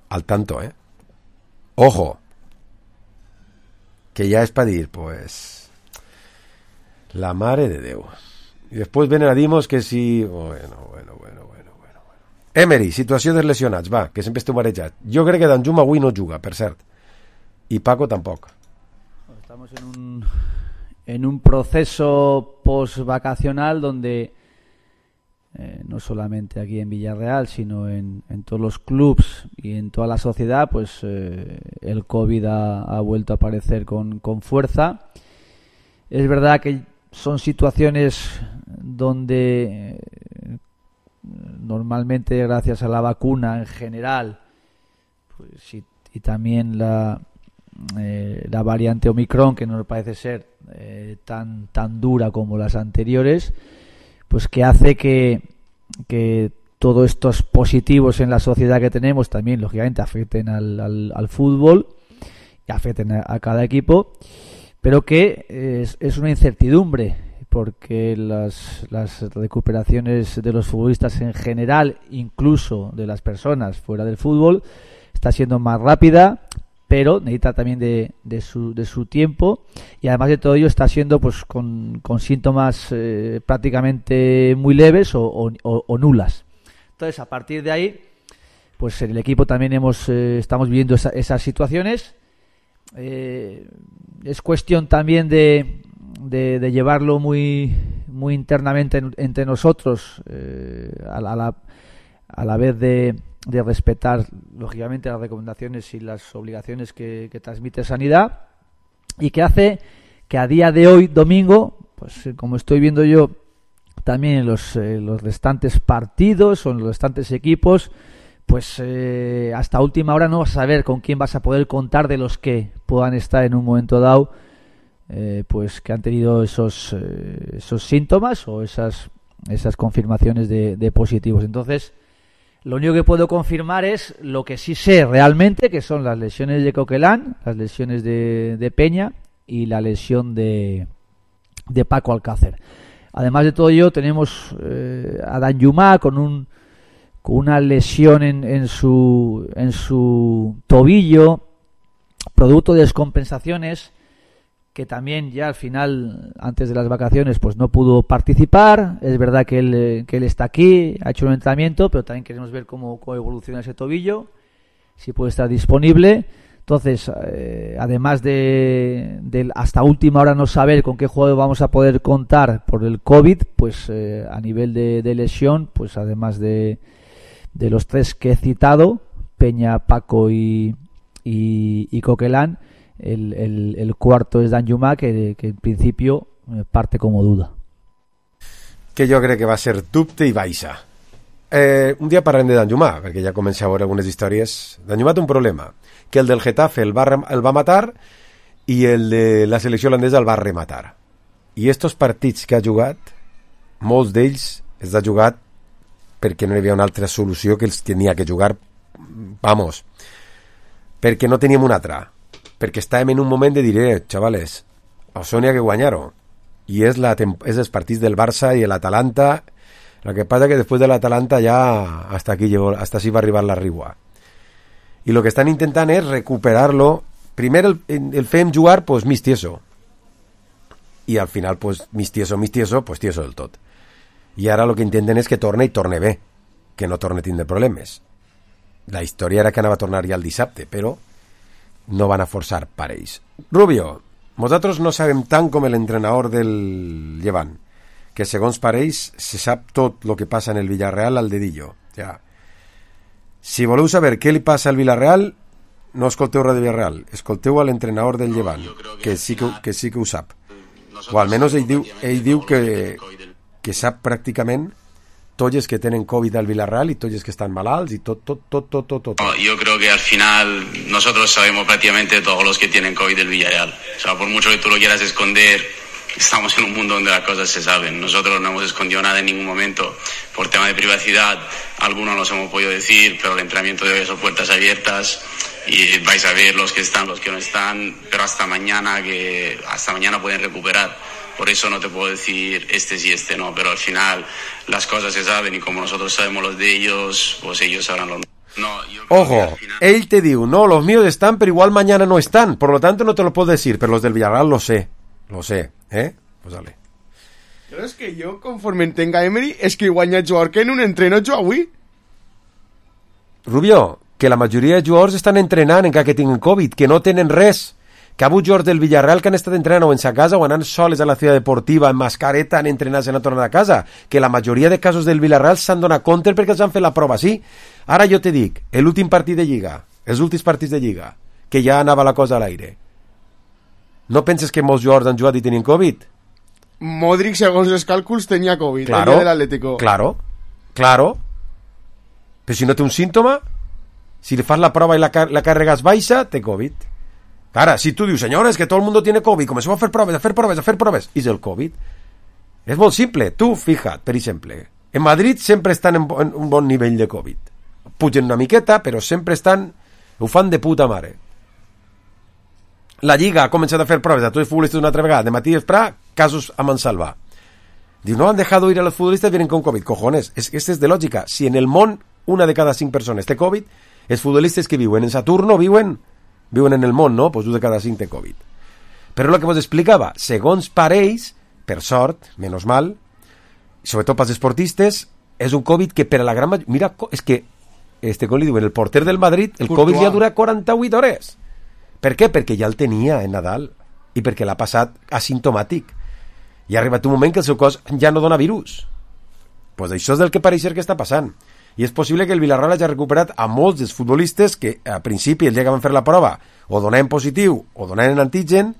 Speaker 2: Al tanto, Ojo, que ja és per dir, pues, la mare de Déu. I després venen a dir-nos que si... Bueno. Emery, situació dels lesionats, va, que sempre esteu marejat. Jo crec que Danjuma avui no juga, per cert. I Paco tampoc.
Speaker 13: Estamos en un proceso post-vacacional donde no solamente aquí en Villarreal, sino en todos los clubs y en toda la sociedad, pues el COVID ha vuelto a aparecer con fuerza. Es verdad que son situaciones donde normalmente, gracias a la vacuna en general, pues, y también la variante Omicron, que no me parece ser tan dura como las anteriores, pues que hace que todos estos positivos en la sociedad que tenemos también, lógicamente, afecten al fútbol y afecten a cada equipo, pero que es una incertidumbre, porque las recuperaciones de los futbolistas en general, incluso de las personas fuera del fútbol, está siendo más rápida, pero necesita también de su tiempo, y además de todo ello está siendo pues con síntomas prácticamente muy leves o nulas. Entonces, a partir de ahí, pues en el equipo también estamos viviendo esas situaciones. Es cuestión también de llevarlo muy internamente entre nosotros, a la vez de respetar lógicamente las recomendaciones y las obligaciones que transmite Sanidad, y que hace que a día de hoy, domingo, pues como estoy viendo yo también en los restantes partidos o en los restantes equipos, pues hasta última hora no vas a saber con quién vas a poder contar de los que puedan estar en un momento dado, pues que han tenido esos síntomas o esas confirmaciones de positivos. Entonces, lo único que puedo confirmar es lo que sí sé realmente, que son las lesiones de Coquelin, las lesiones de Peña y la lesión de Paco Alcácer. Además de todo ello, tenemos a Danjuma con una lesión en su tobillo, producto de descompensaciones, que también ya al final, antes de las vacaciones, pues no pudo participar. Es verdad que él está aquí, ha hecho un entrenamiento, pero también queremos ver cómo evoluciona ese tobillo, si puede estar disponible. Entonces, además de hasta última hora no saber con qué jugador vamos a poder contar por el COVID, pues a nivel de lesión, pues además de los tres que he citado, Peña, Paco y Coquelin, el cuarto es Danjuma, que en principio parte como duda.
Speaker 2: Que jo crec que va ser dubte i baixa. Un dia parlem de Danjuma, perquè ja comença a veure algunes històries. Danjuma té un problema, que el del Getafe el va matar i el de la selecció holandesa el va rematar. I estos partits que ha jugat, molts d'ells els ha jugat perquè no hi havia una altra solució que els tenia que jugar, vamos, perquè no teníem una altra, perquè estàvem en un moment de dir, xavales, a Sònia que guanyar-ho, i és els partits del Barça i l'Atalanta. Lo que pasa que después de l'Atalanta ya hasta así va a arribar la Rigua. Y lo que están intentando es recuperarlo. Primero el fem jugar, pues mis tieso. Y al final, pues mis tieso, pues tieso del tot. Y ahora lo que intenten es que torne i torne bé, que no torne tindre problemes. La història era que anava a tornar ja el dissabte, però no van a forçar parells. Rubio, nosaltres no sabem tant com l'entrenador del Llevant, que segons parells se sap tot el que passa en el Villarreal al dedillo. Ja. Si voleu saber què li passa al Villarreal, no escolteu res de Villarreal, escolteu a l'entrenador del Llevant, que sí que ho sap. O almenys ell diu que sap pràcticament tots els que tenen COVID al Villarreal y tots els que están malalts y tot.
Speaker 6: No, yo creo que al final nosotros sabemos prácticamente todos los que tienen COVID del Villarreal. O sea, por mucho que tú lo quieras esconder, estamos en un mundo donde las cosas se saben. Nosotros no hemos escondido nada en ningún momento por tema de privacidad. Algunos nos hemos podido decir, pero el entrenamiento de hoy son puertas abiertas y vais a ver los que están, los que no están, pero hasta mañana pueden recuperar. Por eso no te puedo decir este sí, este no, pero al final las cosas se saben y como nosotros sabemos los de ellos, pues ellos sabrán los no.
Speaker 2: Ojo, él te digo, no, los míos están, pero igual mañana no están, por lo tanto no te lo puedo decir, pero los del Villarreal lo sé, ¿eh? Pues dale.
Speaker 5: Pero es que yo, conforme tenga Emery, es que igual ha jugador que en un entreno jo avui.
Speaker 2: Rubio, que la majoria de jugadors estan entrenant encara que tinguin Covid, que no tenen res. Que ha hagut jugadors del Villarreal que han estat entrenant o en sa casa o anant soles a la ciutat deportiva en mascareta, han entrenat i han tornat a casa. Que la majoria de casos del Villarreal s'han donat compte perquè els han fet la prova, sí. Ara jo te dic, l'últim partit de Lliga, els últims partits de Lliga, que ja anava la cosa a l'aire. No penses que molts jugadors han jugat i tenien Covid?
Speaker 5: Modric, segons els càlculs, tenia Covid.
Speaker 2: Claro,
Speaker 5: el dia de l'Atlético.
Speaker 2: Claro. Però si no té un símptoma, si li fas la prova i la càrrega és baixa, té Covid. Ara, si tu dius, senyores, que tot el mundo tiene Covid, comenceu a fer proves, i és el Covid. És molt simple. Tu, fija't, per exemple, en Madrid sempre estan en un bon nivell de Covid. Pugen una miqueta, però sempre estan... Ho fan de puta mare. La Lliga ha començat a fer proves a tots els futbolistes una altra vegada, de matí i vespre, casos a mansalva. Diu, no han dejado ir a los futbolistas, vienen con COVID. Cojones, este es de lògica. Si en el món una de cada 5 persones té Covid, els futbolistes que viuen en Saturno viuen en el món, no? Pues 1 de cada 5 té Covid. Però el que vos explicava, segons parells, per sort, menys mal, sobretot pels esportistes, és un Covid que per a la gran majoria... Mira, és que, com li diuen, el porter del Madrid, el Covid li ha durat 48 hores. Per què? Perquè ja el tenia en Nadal i perquè l'ha passat asimptomàtic. I ha arribat un moment que el seu cos ja no dona virus. Pues això és del que pareix ser que està passant. I és possible que el Villarreal hagi recuperat a molts dels futbolistes que a principi, el dia que van fer la prova, o donaven positiu o donaven antigen,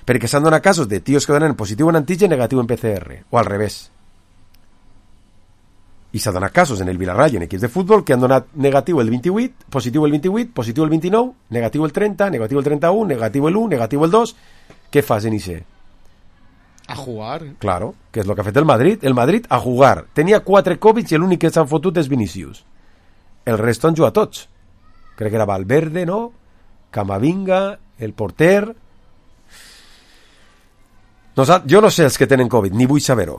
Speaker 2: perquè s'han donat casos de tios que donen positiu en antigen, negatiu en PCR, o al revés. I s'ha donat casos en el Villarreal i en equips de futbol que han donat negatiu el 28, positiu el 28, positiu el 29, negatiu el 30, negatiu el 31, negatiu el 1, negatiu el 2. Què fas en IC?
Speaker 5: A jugar.
Speaker 2: Claro, que és el que ha fet el Madrid. El Madrid a jugar. Tenia 4 Covid i l'únic que s'han fotut és Vinícius. El resto han jugat tots. Crec que era Valverde, no? Camavinga, el porter... Jo no sé els que tenen Covid, ni vull saber-ho.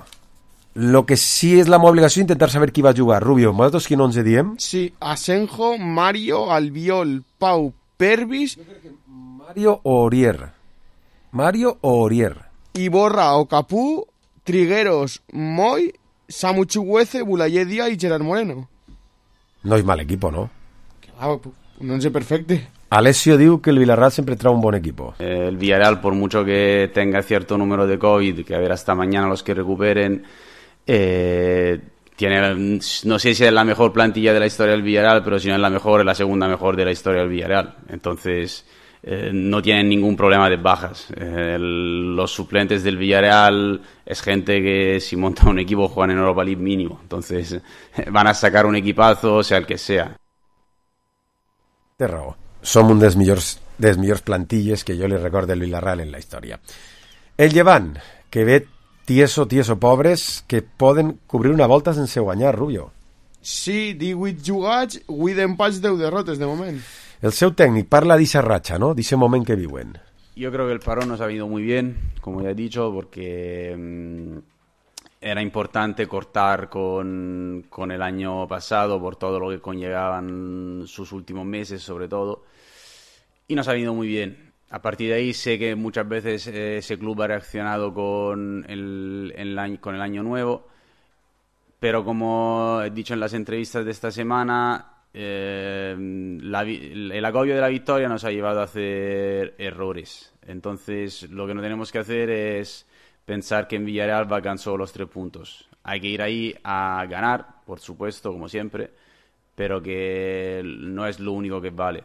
Speaker 2: Lo que sí és la meva obligació intentar saber qui va jugar. Rubio, nosaltres quin 11 diem?
Speaker 5: Sí, Asenjo, Mario, Albiol, Pau, Pervis...
Speaker 2: Mario o Orier. Mario o Orier.
Speaker 5: Iborra o Capú, Trigueros, Moy, Samu Chuguece, Boulaye Díaz y Gerard Moreno.
Speaker 2: No és mal equipo, ¿no?
Speaker 5: Un 11 perfecto.
Speaker 2: Alessio diu que el Villarreal siempre trae un buen equipo.
Speaker 6: El Villarreal, por mucho que tenga cierto número de COVID, que a ver hasta mañana los que recuperen, tiene, no sé si es la mejor plantilla de la historia del Villarreal, pero si no es la mejor, es la segunda mejor de la historia del Villarreal. Entonces, no tienen ningún problema de bajas. Los suplentes del Villarreal es gente que si monta un equipo juegan en Europa League mínimo. Entonces, van a sacar un equipazo, sea el que sea.
Speaker 2: Té raó. Som un dels millors plantilles que jo li recordo del Villarreal en la història. El Llevant, que ve tieso pobres, que poden cobrir una volta sense guanyar, Rubio.
Speaker 5: Sí, 18 jugats, 8 empats, 10 derrotes de moment.
Speaker 2: El seu tècnic parla d'eixa ratxa, ¿no? D'eixe moment que viuen.
Speaker 6: Yo creo que el parón nos ha venido muy bien, como ya he dicho, porque era importante cortar con el año pasado por todo lo que conllevaban sus últimos meses, sobre todo, y nos ha venido muy bien. A partir de ahí sé que muchas veces ese club ha reaccionado con el año nuevo, pero como he dicho en las entrevistas de esta semana, el agobio de la victoria nos ha llevado a hacer errores. Entonces lo que no tenemos que hacer es pensar que en Villarreal va a alcanzar los 3 puntos. Hay que ir ahí a ganar, por supuesto, como siempre, pero que no es lo único que vale.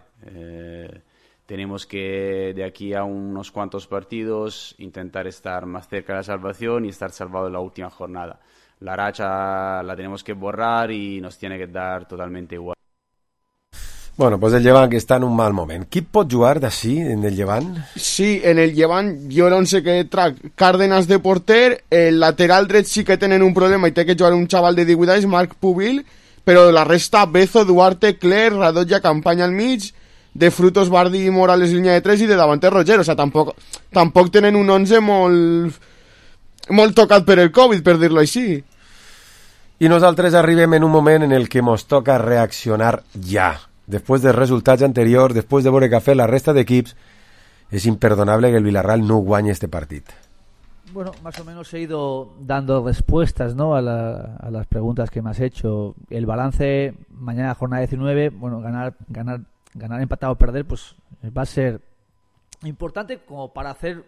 Speaker 6: Tenemos que, de aquí a unos cuantos partidos, intentar estar más cerca de la salvación y estar salvado en la última jornada. La racha la tenemos que borrar y nos tiene que dar totalmente igual.
Speaker 2: Bueno, pues el Llevant que està en un mal moment. Qui pot jugar d'ací, en el Llevant?
Speaker 5: Sí, en el Llevant jo l'11 que trac Cárdenas de porter, el lateral dret sí que tenen un problema i té que jugar un xaval de 18 anys, Marc Pubil, però la resta, Bezo, Duarte, Cler, Radoja, Campanya al mig, de Frutos, Bardi i Morales línia de 3 i de davanter Roger, o sea, tampoc tenen un 11 molt tocat per el Covid, per dir-lo així.
Speaker 2: I nosaltres arribem en un moment en el que mos toca reaccionar ja. Después de resultats anteriors, después de veure que ha fet la resta d'equips, es imperdonable que el Villarreal no guanye este partit.
Speaker 13: Bueno, más o menos he ido dando respuestas, ¿no?, a las preguntas que me has hecho. El balance, mañana jornada 19, bueno, ganar, empatado o perder, pues va a ser importante como para hacer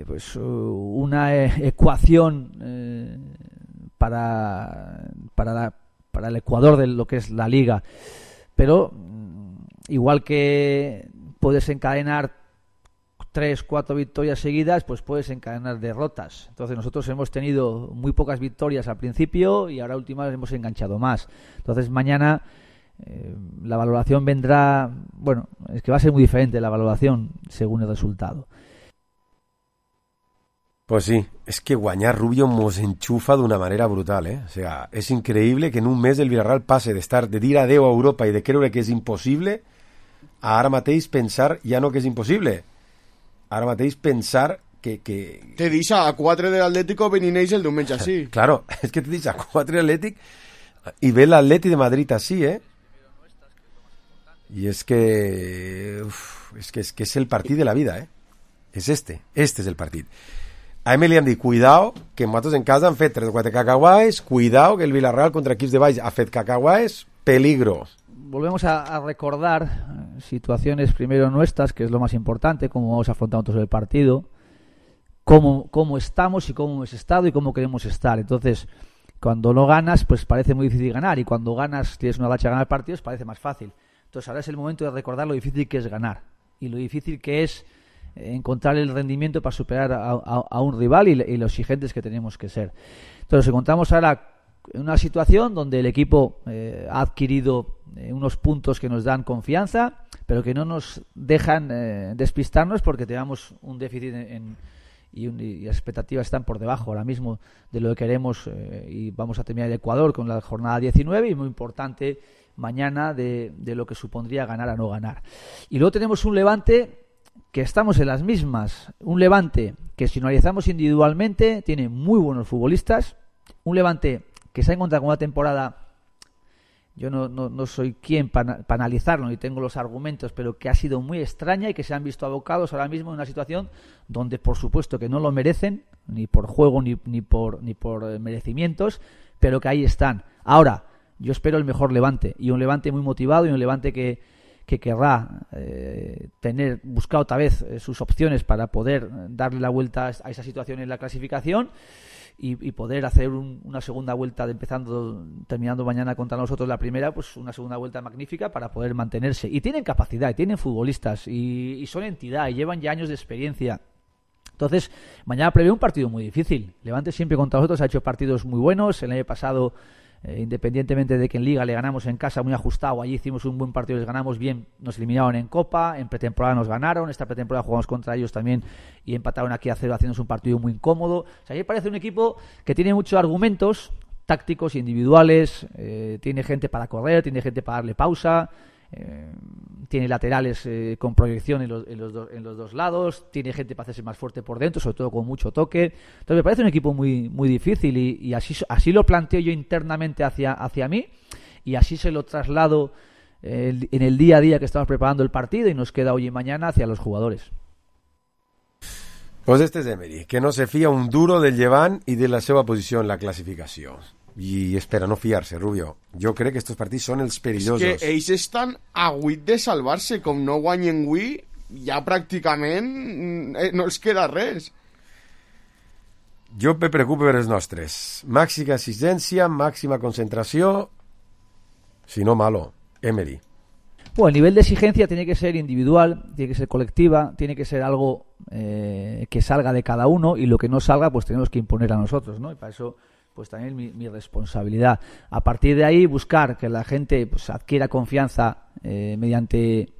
Speaker 13: pues una ecuación para el Ecuador de lo que es la Liga. Pero igual que puedes encadenar 3-4 victorias seguidas, pues puedes encadenar derrotas. Entonces nosotros hemos tenido muy pocas victorias al principio y ahora últimas hemos enganchado más. Entonces mañana la valoración vendrá, bueno, es que va a ser muy diferente la valoración según el resultado.
Speaker 2: Pues sí, es que guanyar, Rubio, mos enxufa d'una manera brutal, O sea, és increïble que en un mes el Villarreal passe de dir adeu a Europa i de creure que és impossible a ara mateix pensar ja no que és impossible. Ara mateix pensar que...
Speaker 5: Te deixa a 4 de l'Atlético venint ells el diumenge així.
Speaker 2: Claro, és que te deixa a 4 de l'Atlètic i ve l'Atleti de Madrid així, I és que... és que és el partit de la vida, És este és el partit. A Emily hem dit, cuidao, que nosaltres en casa han fet 3 o 4 cacahuaes, cuidao, que el Villarreal contra equips de baix ha fet cacahuaes, peligro.
Speaker 13: Volvemos a recordar situaciones primero nuestras, que es lo más importante, cómo vamos afrontando todo el partido, cómo estamos y cómo hemos estado y cómo queremos estar. Entonces, cuando no ganas, pues parece muy difícil ganar, y cuando ganas, tienes una racha de ganar partidos, parece más fácil. Entonces ahora es el momento de recordar lo difícil que es ganar y lo difícil que es encontrar el rendimiento para superar a un rival y lo exigentes que tenemos que ser. Entonces encontramos ahora en una situación donde el equipo ha adquirido unos puntos que nos dan confianza, pero que no nos dejan despistarnos porque tenemos un déficit y las expectativas están por debajo ahora mismo de lo que queremos, y vamos a terminar el Ecuador con la jornada 19 y muy importante mañana de lo que supondría ganar a no ganar. Y luego tenemos un Levante que estamos en las mismas, un Levante que si analizamos individualmente tiene muy buenos futbolistas, un Levante que se ha encontrado con una temporada, yo no soy quien para analizarlo ni tengo los argumentos, pero que ha sido muy extraña y que se han visto abocados ahora mismo en una situación donde por supuesto que no lo merecen, ni por juego ni por merecimientos, pero que ahí están. Ahora, yo espero el mejor Levante, y un Levante muy motivado, y un Levante que querrá buscar otra vez sus opciones para poder darle la vuelta a esa situación en la clasificación y poder hacer una segunda vuelta terminando mañana contra nosotros la primera, pues una segunda vuelta magnífica para poder mantenerse. Y tienen capacidad, y tienen futbolistas, y son entidad, y llevan ya años de experiencia. Entonces, mañana prevé un partido muy difícil. Levante siempre contra nosotros ha hecho partidos muy buenos. El año pasado, independientemente de que en Liga le ganamos en casa muy ajustado, allí hicimos un buen partido, les ganamos bien, nos eliminaron en Copa, en pretemporada nos ganaron, esta pretemporada jugamos contra ellos también y empataron aquí a 0 haciéndose un partido muy incómodo. O sea, a mí me parece un equipo que tiene muchos argumentos tácticos, individuales, tiene gente para correr, tiene gente para darle pausa, tiene laterales con proyección en los dos lados, tiene gente para hacerse más fuerte por dentro, sobre todo con mucho toque. Entonces me parece un equipo muy, muy difícil y así lo planteo yo internamente hacia mí, y así se lo traslado en el día a día que estamos preparando el partido y nos queda hoy y mañana hacia los jugadores.
Speaker 2: Pues este és Emery, que no se fia un duro del Llevant i de la seva posició en la classificació. I espera no fiar-se, Rubio. Jo crec que aquests partits són els perillosos.
Speaker 5: És que ells estan a 8 de salvar-se. Com no guanyen avui, ja pràcticament no els queda res.
Speaker 2: Jo me preocupo per els nostres. Màxima exigència, màxima concentració, si no malo. Emery.
Speaker 13: Bueno, el nivel de exigencia tiene que ser individual, tiene que ser colectiva, tiene que ser algo que salga de cada uno, y lo que no salga pues tenemos que imponer a nosotros, ¿no? Y para eso pues también mi responsabilidad. A partir de ahí buscar que la gente pues adquiera confianza mediante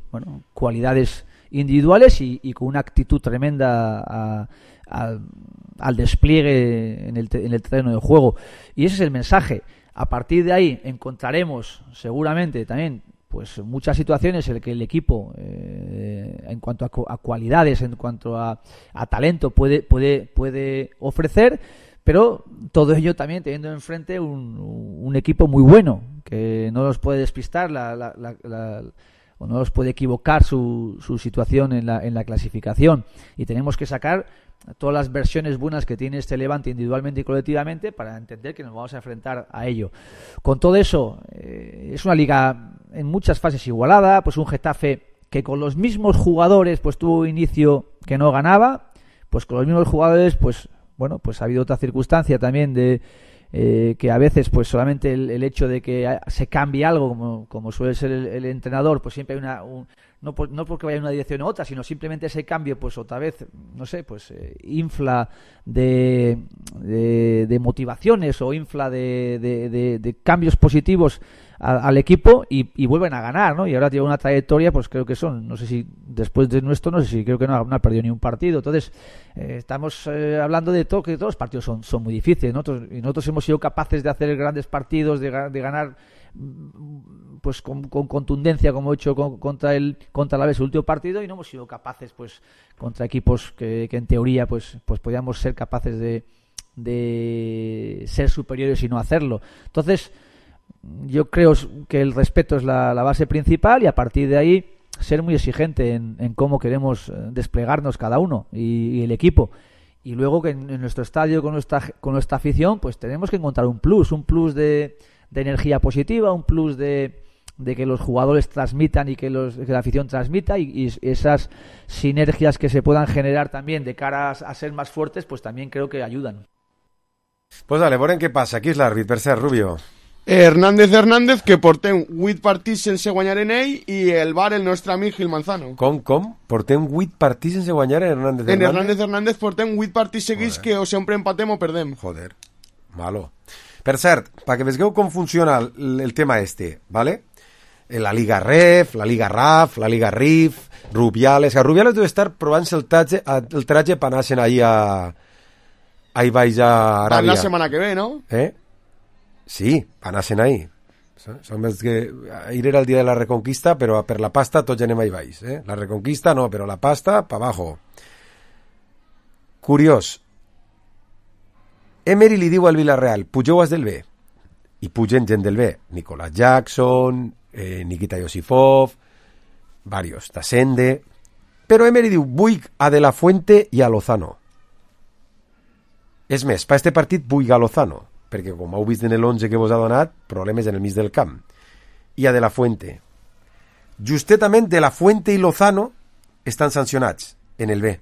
Speaker 13: cualidades individuales y con una actitud tremenda al despliegue en el terreno de juego. Y ese es el mensaje. A partir de ahí encontraremos seguramente también pues muchas situaciones en las que el equipo en cuanto a cualidades, en cuanto a talento puede ofrecer, pero todo ello también teniendo enfrente un equipo muy bueno que no nos puede despistar o no nos puede equivocar su situación en la clasificación, y tenemos que sacar todas las versiones buenas que tiene este Levante individualmente y colectivamente para entender que nos vamos a enfrentar a ello. Con todo eso, es una liga en muchas fases igualada, pues un Getafe que con los mismos jugadores pues tuvo un inicio que no ganaba, pues con los mismos jugadores pues ha habido otra circunstancia también de que a veces pues solamente el hecho de que se cambie algo como suele ser el entrenador, pues siempre hay no porque vaya en una dirección u otra, sino simplemente ese cambio pues otra vez infla de motivaciones o infla de cambios positivos al equipo y vuelven a ganar, ¿no? Y ahora tiene una trayectoria, pues creo que no sé si después de nuestro, no sé si creo que no ha perdido ni un partido. Entonces estamos hablando de todo, que todos los partidos son muy difíciles. Nosotros hemos sido capaces de hacer grandes partidos, de ganar pues con contundencia, como he hecho contra la vez el último partido, y no hemos sido capaces pues contra equipos que en teoría pues podíamos ser capaces de ser superiores y no hacerlo. Entonces yo creo que el respeto es la base principal, y a partir de ahí ser muy exigente en cómo queremos desplegarnos cada uno y el equipo. Y luego que en nuestro estadio con nuestra afición pues tenemos que encontrar un plus de energía positiva, un plus de que los jugadores transmitan y que la afición transmita, y esas sinergias que se puedan generar también de cara a ser más fuertes, pues también creo que ayudan.
Speaker 2: Pues dale, veurem què passa. Aquí és l'àrbit, per cert, Rubio.
Speaker 5: Hernández, que portem 8 partits sense guanyar en ell, i el Bar, el nostre amic Gil Manzano.
Speaker 2: Com? Portem 8 partits sense guanyar en Hernández.
Speaker 5: En Hernández portem 8 partits seguits que o sempre empatem o perdem.
Speaker 2: Joder, malo. Per cert, perquè veieu com funciona el tema este, ¿vale? La Liga Ref, la Liga RAF, la Liga RIF, Rubiales... A Rubiales deu estar provant-se el traje per anar-se'n ahí baix a Aràbia.
Speaker 5: La setmana que ve, ¿no?
Speaker 2: Sí, anar-se'n ahí. Som els que... Ahir era el dia de la Reconquista, però per la pasta tots anem ahí baix. La Reconquista no, però la pasta, pa abajo. Curiós. Emery li diu al Villarreal, pugeu els del B. I pugen gent del B. Nicolás Jackson, Nikita Yosifov, varios, Tasende. Però Emery diu, vull a De La Fuente i a Lozano. És més, per este partit vull a Lozano, perquè com heu vist en l'11 que vos ha donat, problemes en el mig del camp. I a De La Fuente. Justetament De La Fuente i Lozano estan sancionats en el B.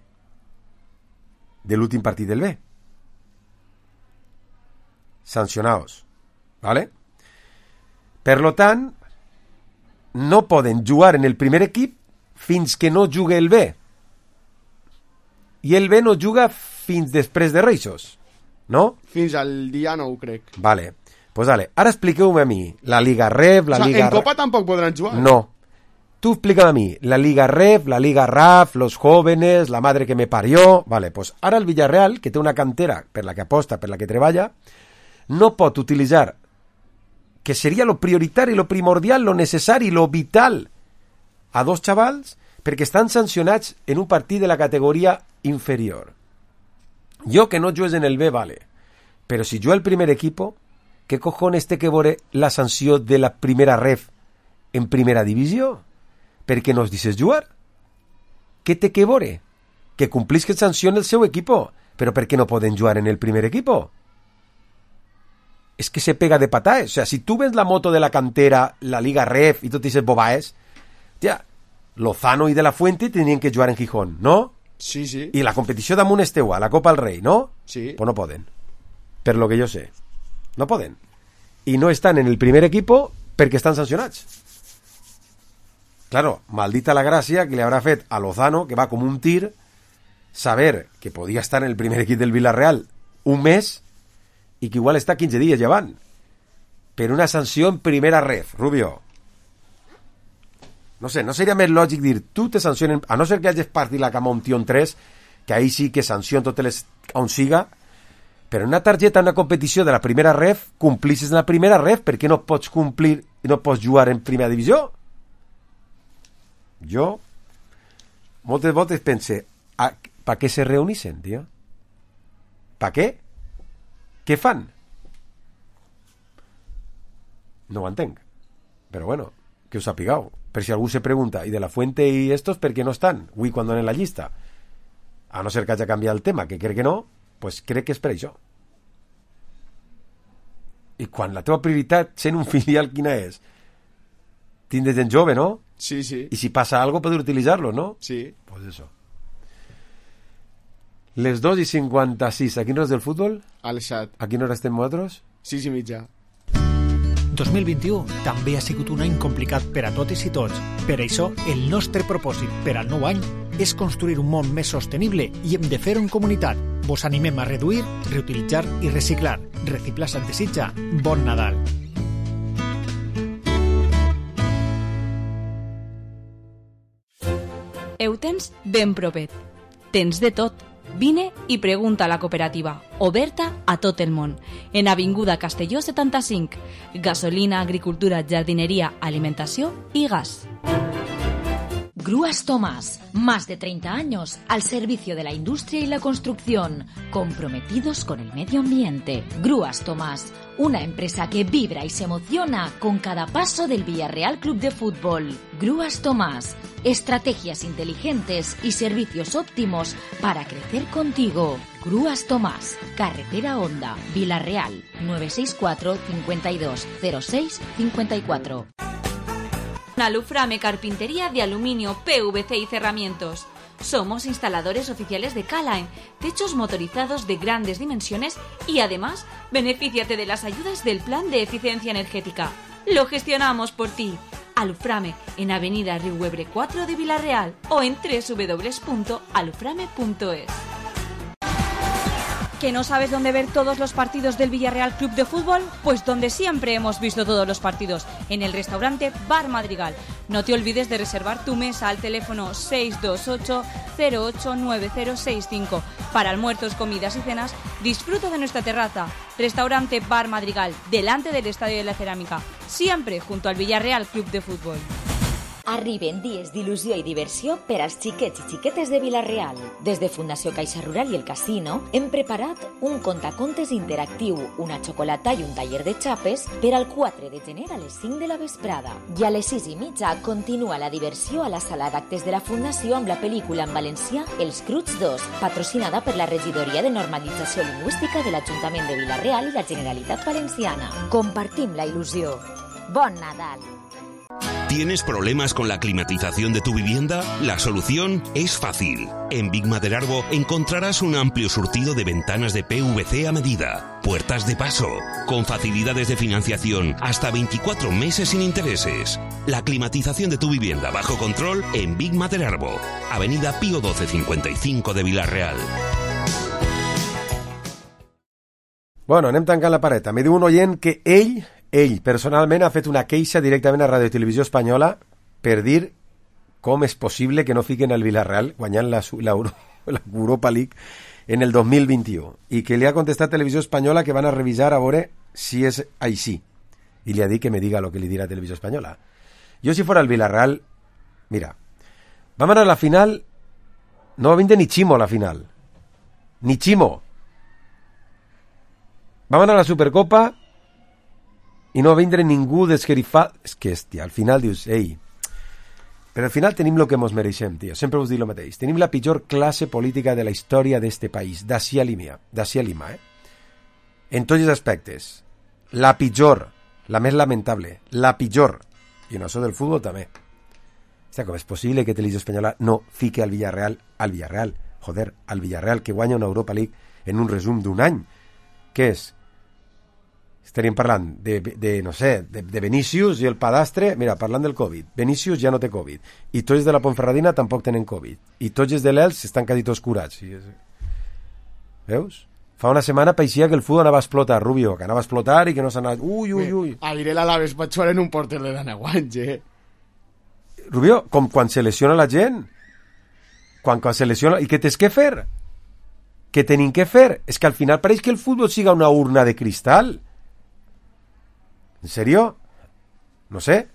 Speaker 2: De l'últim partit del B. Sancionados. ¿Vale? Per lo tant, no poden jugar en el primer equip fins que no jugui el B. I el B no juga fins després de Reixos, no?
Speaker 5: Fins al dia 9, crec.
Speaker 2: Vale. Pues dale, ara expliqueu-me a mi la Liga Ref, la Liga...
Speaker 5: En Copa tampoc podran jugar.
Speaker 2: No. Tú explícame a mí, la Liga Ref, la Liga RAF, los jóvenes, la madre que me parió... Vale, pues ara el Villarreal, que té una cantera per la que aposta, per la que treballa, no pot utilitzar, que seria lo prioritari, lo primordial, lo necessari, lo vital, a dos xavals perquè estan sancionats en un partit de la categoria inferior. Jo que no jugues en el B, vale, però si jo el primer equipo, ¿qué cojones té que veure la sanció de la primera ref en primera divisió? Per què no es deixes jugar? Què té que veure? Que complisca sanció en el seu equipo, però per què no poden jugar en el primer equipo? Es que se pega de pataes. O sea, si tú ves la moto de la cantera, la Liga Ref y tú te dices bobaes, tía, Lozano y De La Fuente tenien que jugar en Gijón, ¿no?
Speaker 5: Sí, sí.
Speaker 2: I la competició damunt és teua, la Copa del Rei, ¿no?
Speaker 5: Sí.
Speaker 2: Pues no poden. Per lo que jo sé. No poden. I no estan en el primer equipo perquè estan sancionats. Claro, maldita la gràcia que li haurà fet a Lozano, que va com un tir, saber que podia estar en el primer equip del Villarreal un mes i que igual està 15 dies llevant. Per una sanció en primera ref, Rubio. No sé, no seria més lògic dir, tu te sancionen, a no ser que hagis partit la cama un tio en 3, que ahí sí que sanció totes les on siga, però en una targeta, en una competició de la primera ref, complisses en la primera ref, per què no pots complir i no pots jugar en primera divisió? Jo, moltes voltes pense, pa què se reunissen, tio? Pa què? Què fan? No ho entenc. Però bueno, que us sapigueu. Per si algú se pregunta, ¿y De La Fuente y estos per qué no están? Uy, cuando en la llista. A no ser que haya canviat el tema, que crec que no, pues crec que és per això. I quan la teva prioritat, sent un filial, quina és? Tindre gent jove, ¿no?
Speaker 5: Sí, sí.
Speaker 2: Y si pasa algo, poder utilizarlo, ¿no?
Speaker 5: Sí.
Speaker 2: Pues eso. Les 2:56. A quina hora és del futbol?
Speaker 5: Al xat.
Speaker 2: A quina hora estem nosaltres?
Speaker 5: 6:30.
Speaker 14: 2021 també ha sigut un any complicat per a totes i tots. Per això, el nostre propòsit per al nou any és construir un món més sostenible i hem de fer-ho en comunitat. Vos animem a reduir, reutilitzar i reciclar. Reciclar se't desitja. Bon Nadal.
Speaker 12: Ho tens ben propet. Tens de tot. Vine i pregunta a la cooperativa, oberta a tot el món, en Avinguda Castelló 75. Gasolina, agricultura, jardinería, alimentació i gas.
Speaker 15: Grúas Tomás, más de 30 años al servicio de la industria y la construcción, comprometidos con el medio ambiente. Grúas Tomás, una empresa que vibra y se emociona con cada paso del Villarreal Club de Fútbol. Grúas Tomás, estrategias inteligentes y servicios óptimos para crecer contigo. Grúas Tomás, Carretera Honda, Villarreal, 964 52 06 54.
Speaker 12: Aluframe Carpintería de aluminio, PVC y cerramientos. Somos instaladores oficiales de K-Line, techos motorizados de grandes dimensiones y además, benefíciate de las ayudas del Plan de Eficiencia Energética. Lo gestionamos por ti. Aluframe, en Avenida Riuebre 4 de Vila-real o en www.aluframe.es. ¿Que no sabes dónde ver todos los partidos del Villarreal Club de Fútbol? Pues donde siempre hemos visto todos los partidos, en el restaurante Bar Madrigal. No te olvides de reservar tu mesa al teléfono 628-089065. Para almuerzos, comidas y cenas, disfruta de nuestra terraza. Restaurante Bar Madrigal, delante del Estadio de la Cerámica, siempre junto al Villarreal Club de Fútbol.
Speaker 15: Arriben dies d'il·lusió i diversió per als xiquets i xiquetes de Vila-real. Des de Fundació Caixa Rural i el Casino hem preparat un contacontes interactiu, una xocolata i un taller de xapes per al 4 de gener a les 5 de la vesprada. I a les 6:30 continua la diversió a la sala d'actes de la Fundació amb la pel·lícula en valencià Els Cruts 2, patrocinada per la Regidoria de Normalització Lingüística de l'Ajuntament de Vila-real i la Generalitat Valenciana. Compartim la il·lusió. Bon Nadal!
Speaker 16: ¿Tienes problemas con la climatización de tu vivienda? La solución es fácil. En Big Maderarbo encontrarás un amplio surtido de ventanas de PVC a medida, puertas de paso, con facilidades de financiación hasta 24 meses sin intereses. La climatización de tu vivienda bajo control en Big Maderarbo, Avenida Pío 12 55 de Vila-real.
Speaker 2: Bueno, anem tancant la pareta. Me diu un oient que ell personalment ha fet una queixa directament a Ràdio i Televisió Espanyola per dir com és possible que no fiquen el Villarreal guanyant l'Europa League en el 2021 i que li ha contestat Televisió Espanyola que van a revisar a veure si és així i li ha dit que me diga lo que li dirà Televisió Espanyola. Jo si fora el Villarreal, mira, vam anar a la final, no va vindre ni Chimo a la final, ni Chimo. Vam anar a la Supercopa i no va vindre ningú d'esquerifat. És que, hòstia, al final dius, ei, però al final tenim el que mos mereixem, tio. Sempre us dic el mateix. Tenim la pitjor classe política de la història d'este país, d'ací a Lima, en tots els aspectes. La pitjor, la més lamentable, la pitjor. I en això del futbol també. Hòstia, com és possible que Televisió Espanyola no fique al Villarreal, al Villarreal que guanya una Europa League en un resum d'un any? Què és? Estaríem parlant de Vinícius i el Padastre. Mira, parlant del Covid, Vinícius ja no té Covid i tots de la Ponferradina tampoc tenen Covid i tots els de l'Elx estan quasi tots curats. Veus? Fa una setmana pareixia que el futbol anava a explotar, Rubio, que anava a explotar i que no s'anava... Ui.
Speaker 5: Ahir l'Alaves va jugar en un porter de d'Anaguanys,
Speaker 2: Rubio, com quan se lesiona la gent. Quan se lesiona... I què tens que fer? Què tenim que fer? És que al final pareix que el futbol siga una urna de cristal. ¿En serio? No sé.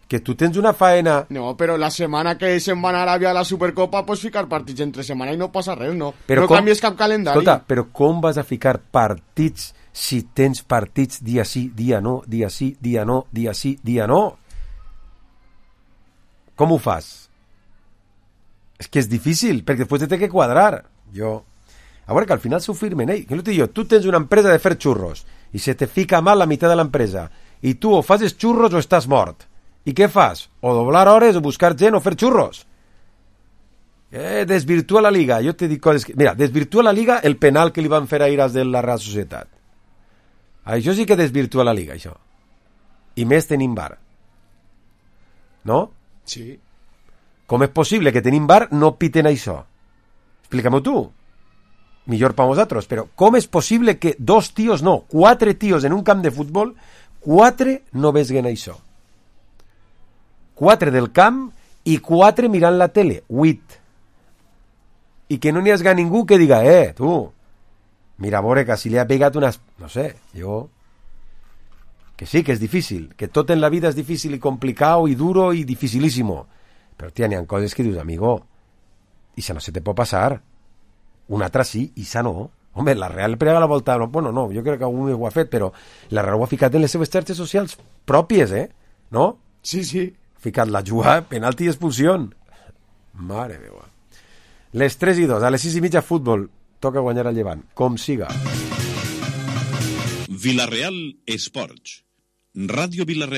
Speaker 2: Que tu tens una faena...
Speaker 5: No, però la setmana que se'n van a Aràbia a la Supercopa pots ficar partits entre setmana i no passa res, no?
Speaker 2: Però
Speaker 5: no canvies cap calendari.
Speaker 2: Escolta, però com vas a ficar partits si tens partits dia sí, dia no, dia sí, dia no, dia sí, dia no? Com ho fas? És que és difícil, perquè després té que quadrar. A veure, que al final s'ho firmen, que no t'ho dic jo, tu tens una empresa de fer xurros i se te fica mal la meitat de l'empresa i tu o fas els xurros o estàs mort. I què fas? O doblar hores o buscar gent o fer xurros. Desvirtua la Liga. Jo te dic coses que... Mira, desvirtua la Liga el penal que li van fer ahir als de la Real Societat. Això sí que desvirtua la Liga, això. I més tenim VAR. No?
Speaker 5: Sí.
Speaker 2: Com és possible que tenim VAR no piten això? Explica-m'ho tu. Millor per vosaltres, però com és possible que 2 tios, no, 4 tios en un camp de futbol, 4 no vesguen això? 4 del camp i 4 mirant la tele, 8. I que no n'hi hagi ningú que diga, tu, mira, a veure, que si li ha pegat unes... No sé, jo... Que sí, que és difícil, que tot en la vida és difícil i complicat i duro i dificilísimo. Però, tia, n'hi ha coses que dius, amigo, i això no se te pot passar. Una altra sí, i això no. Home, la Real prega la volta... Bueno, no, jo crec que algú ho ha fet, però la Real ho ha ficat en les seves xarxes socials pròpies, no?
Speaker 5: Sí.
Speaker 2: Ha ficat la jugada, penalti i expulsió. Mare meva. Les 3:02, a les 6:30 futbol. Toca guanyar al Llevant, com siga.
Speaker 4: Villarreal Esports. Ràdio Villarreal.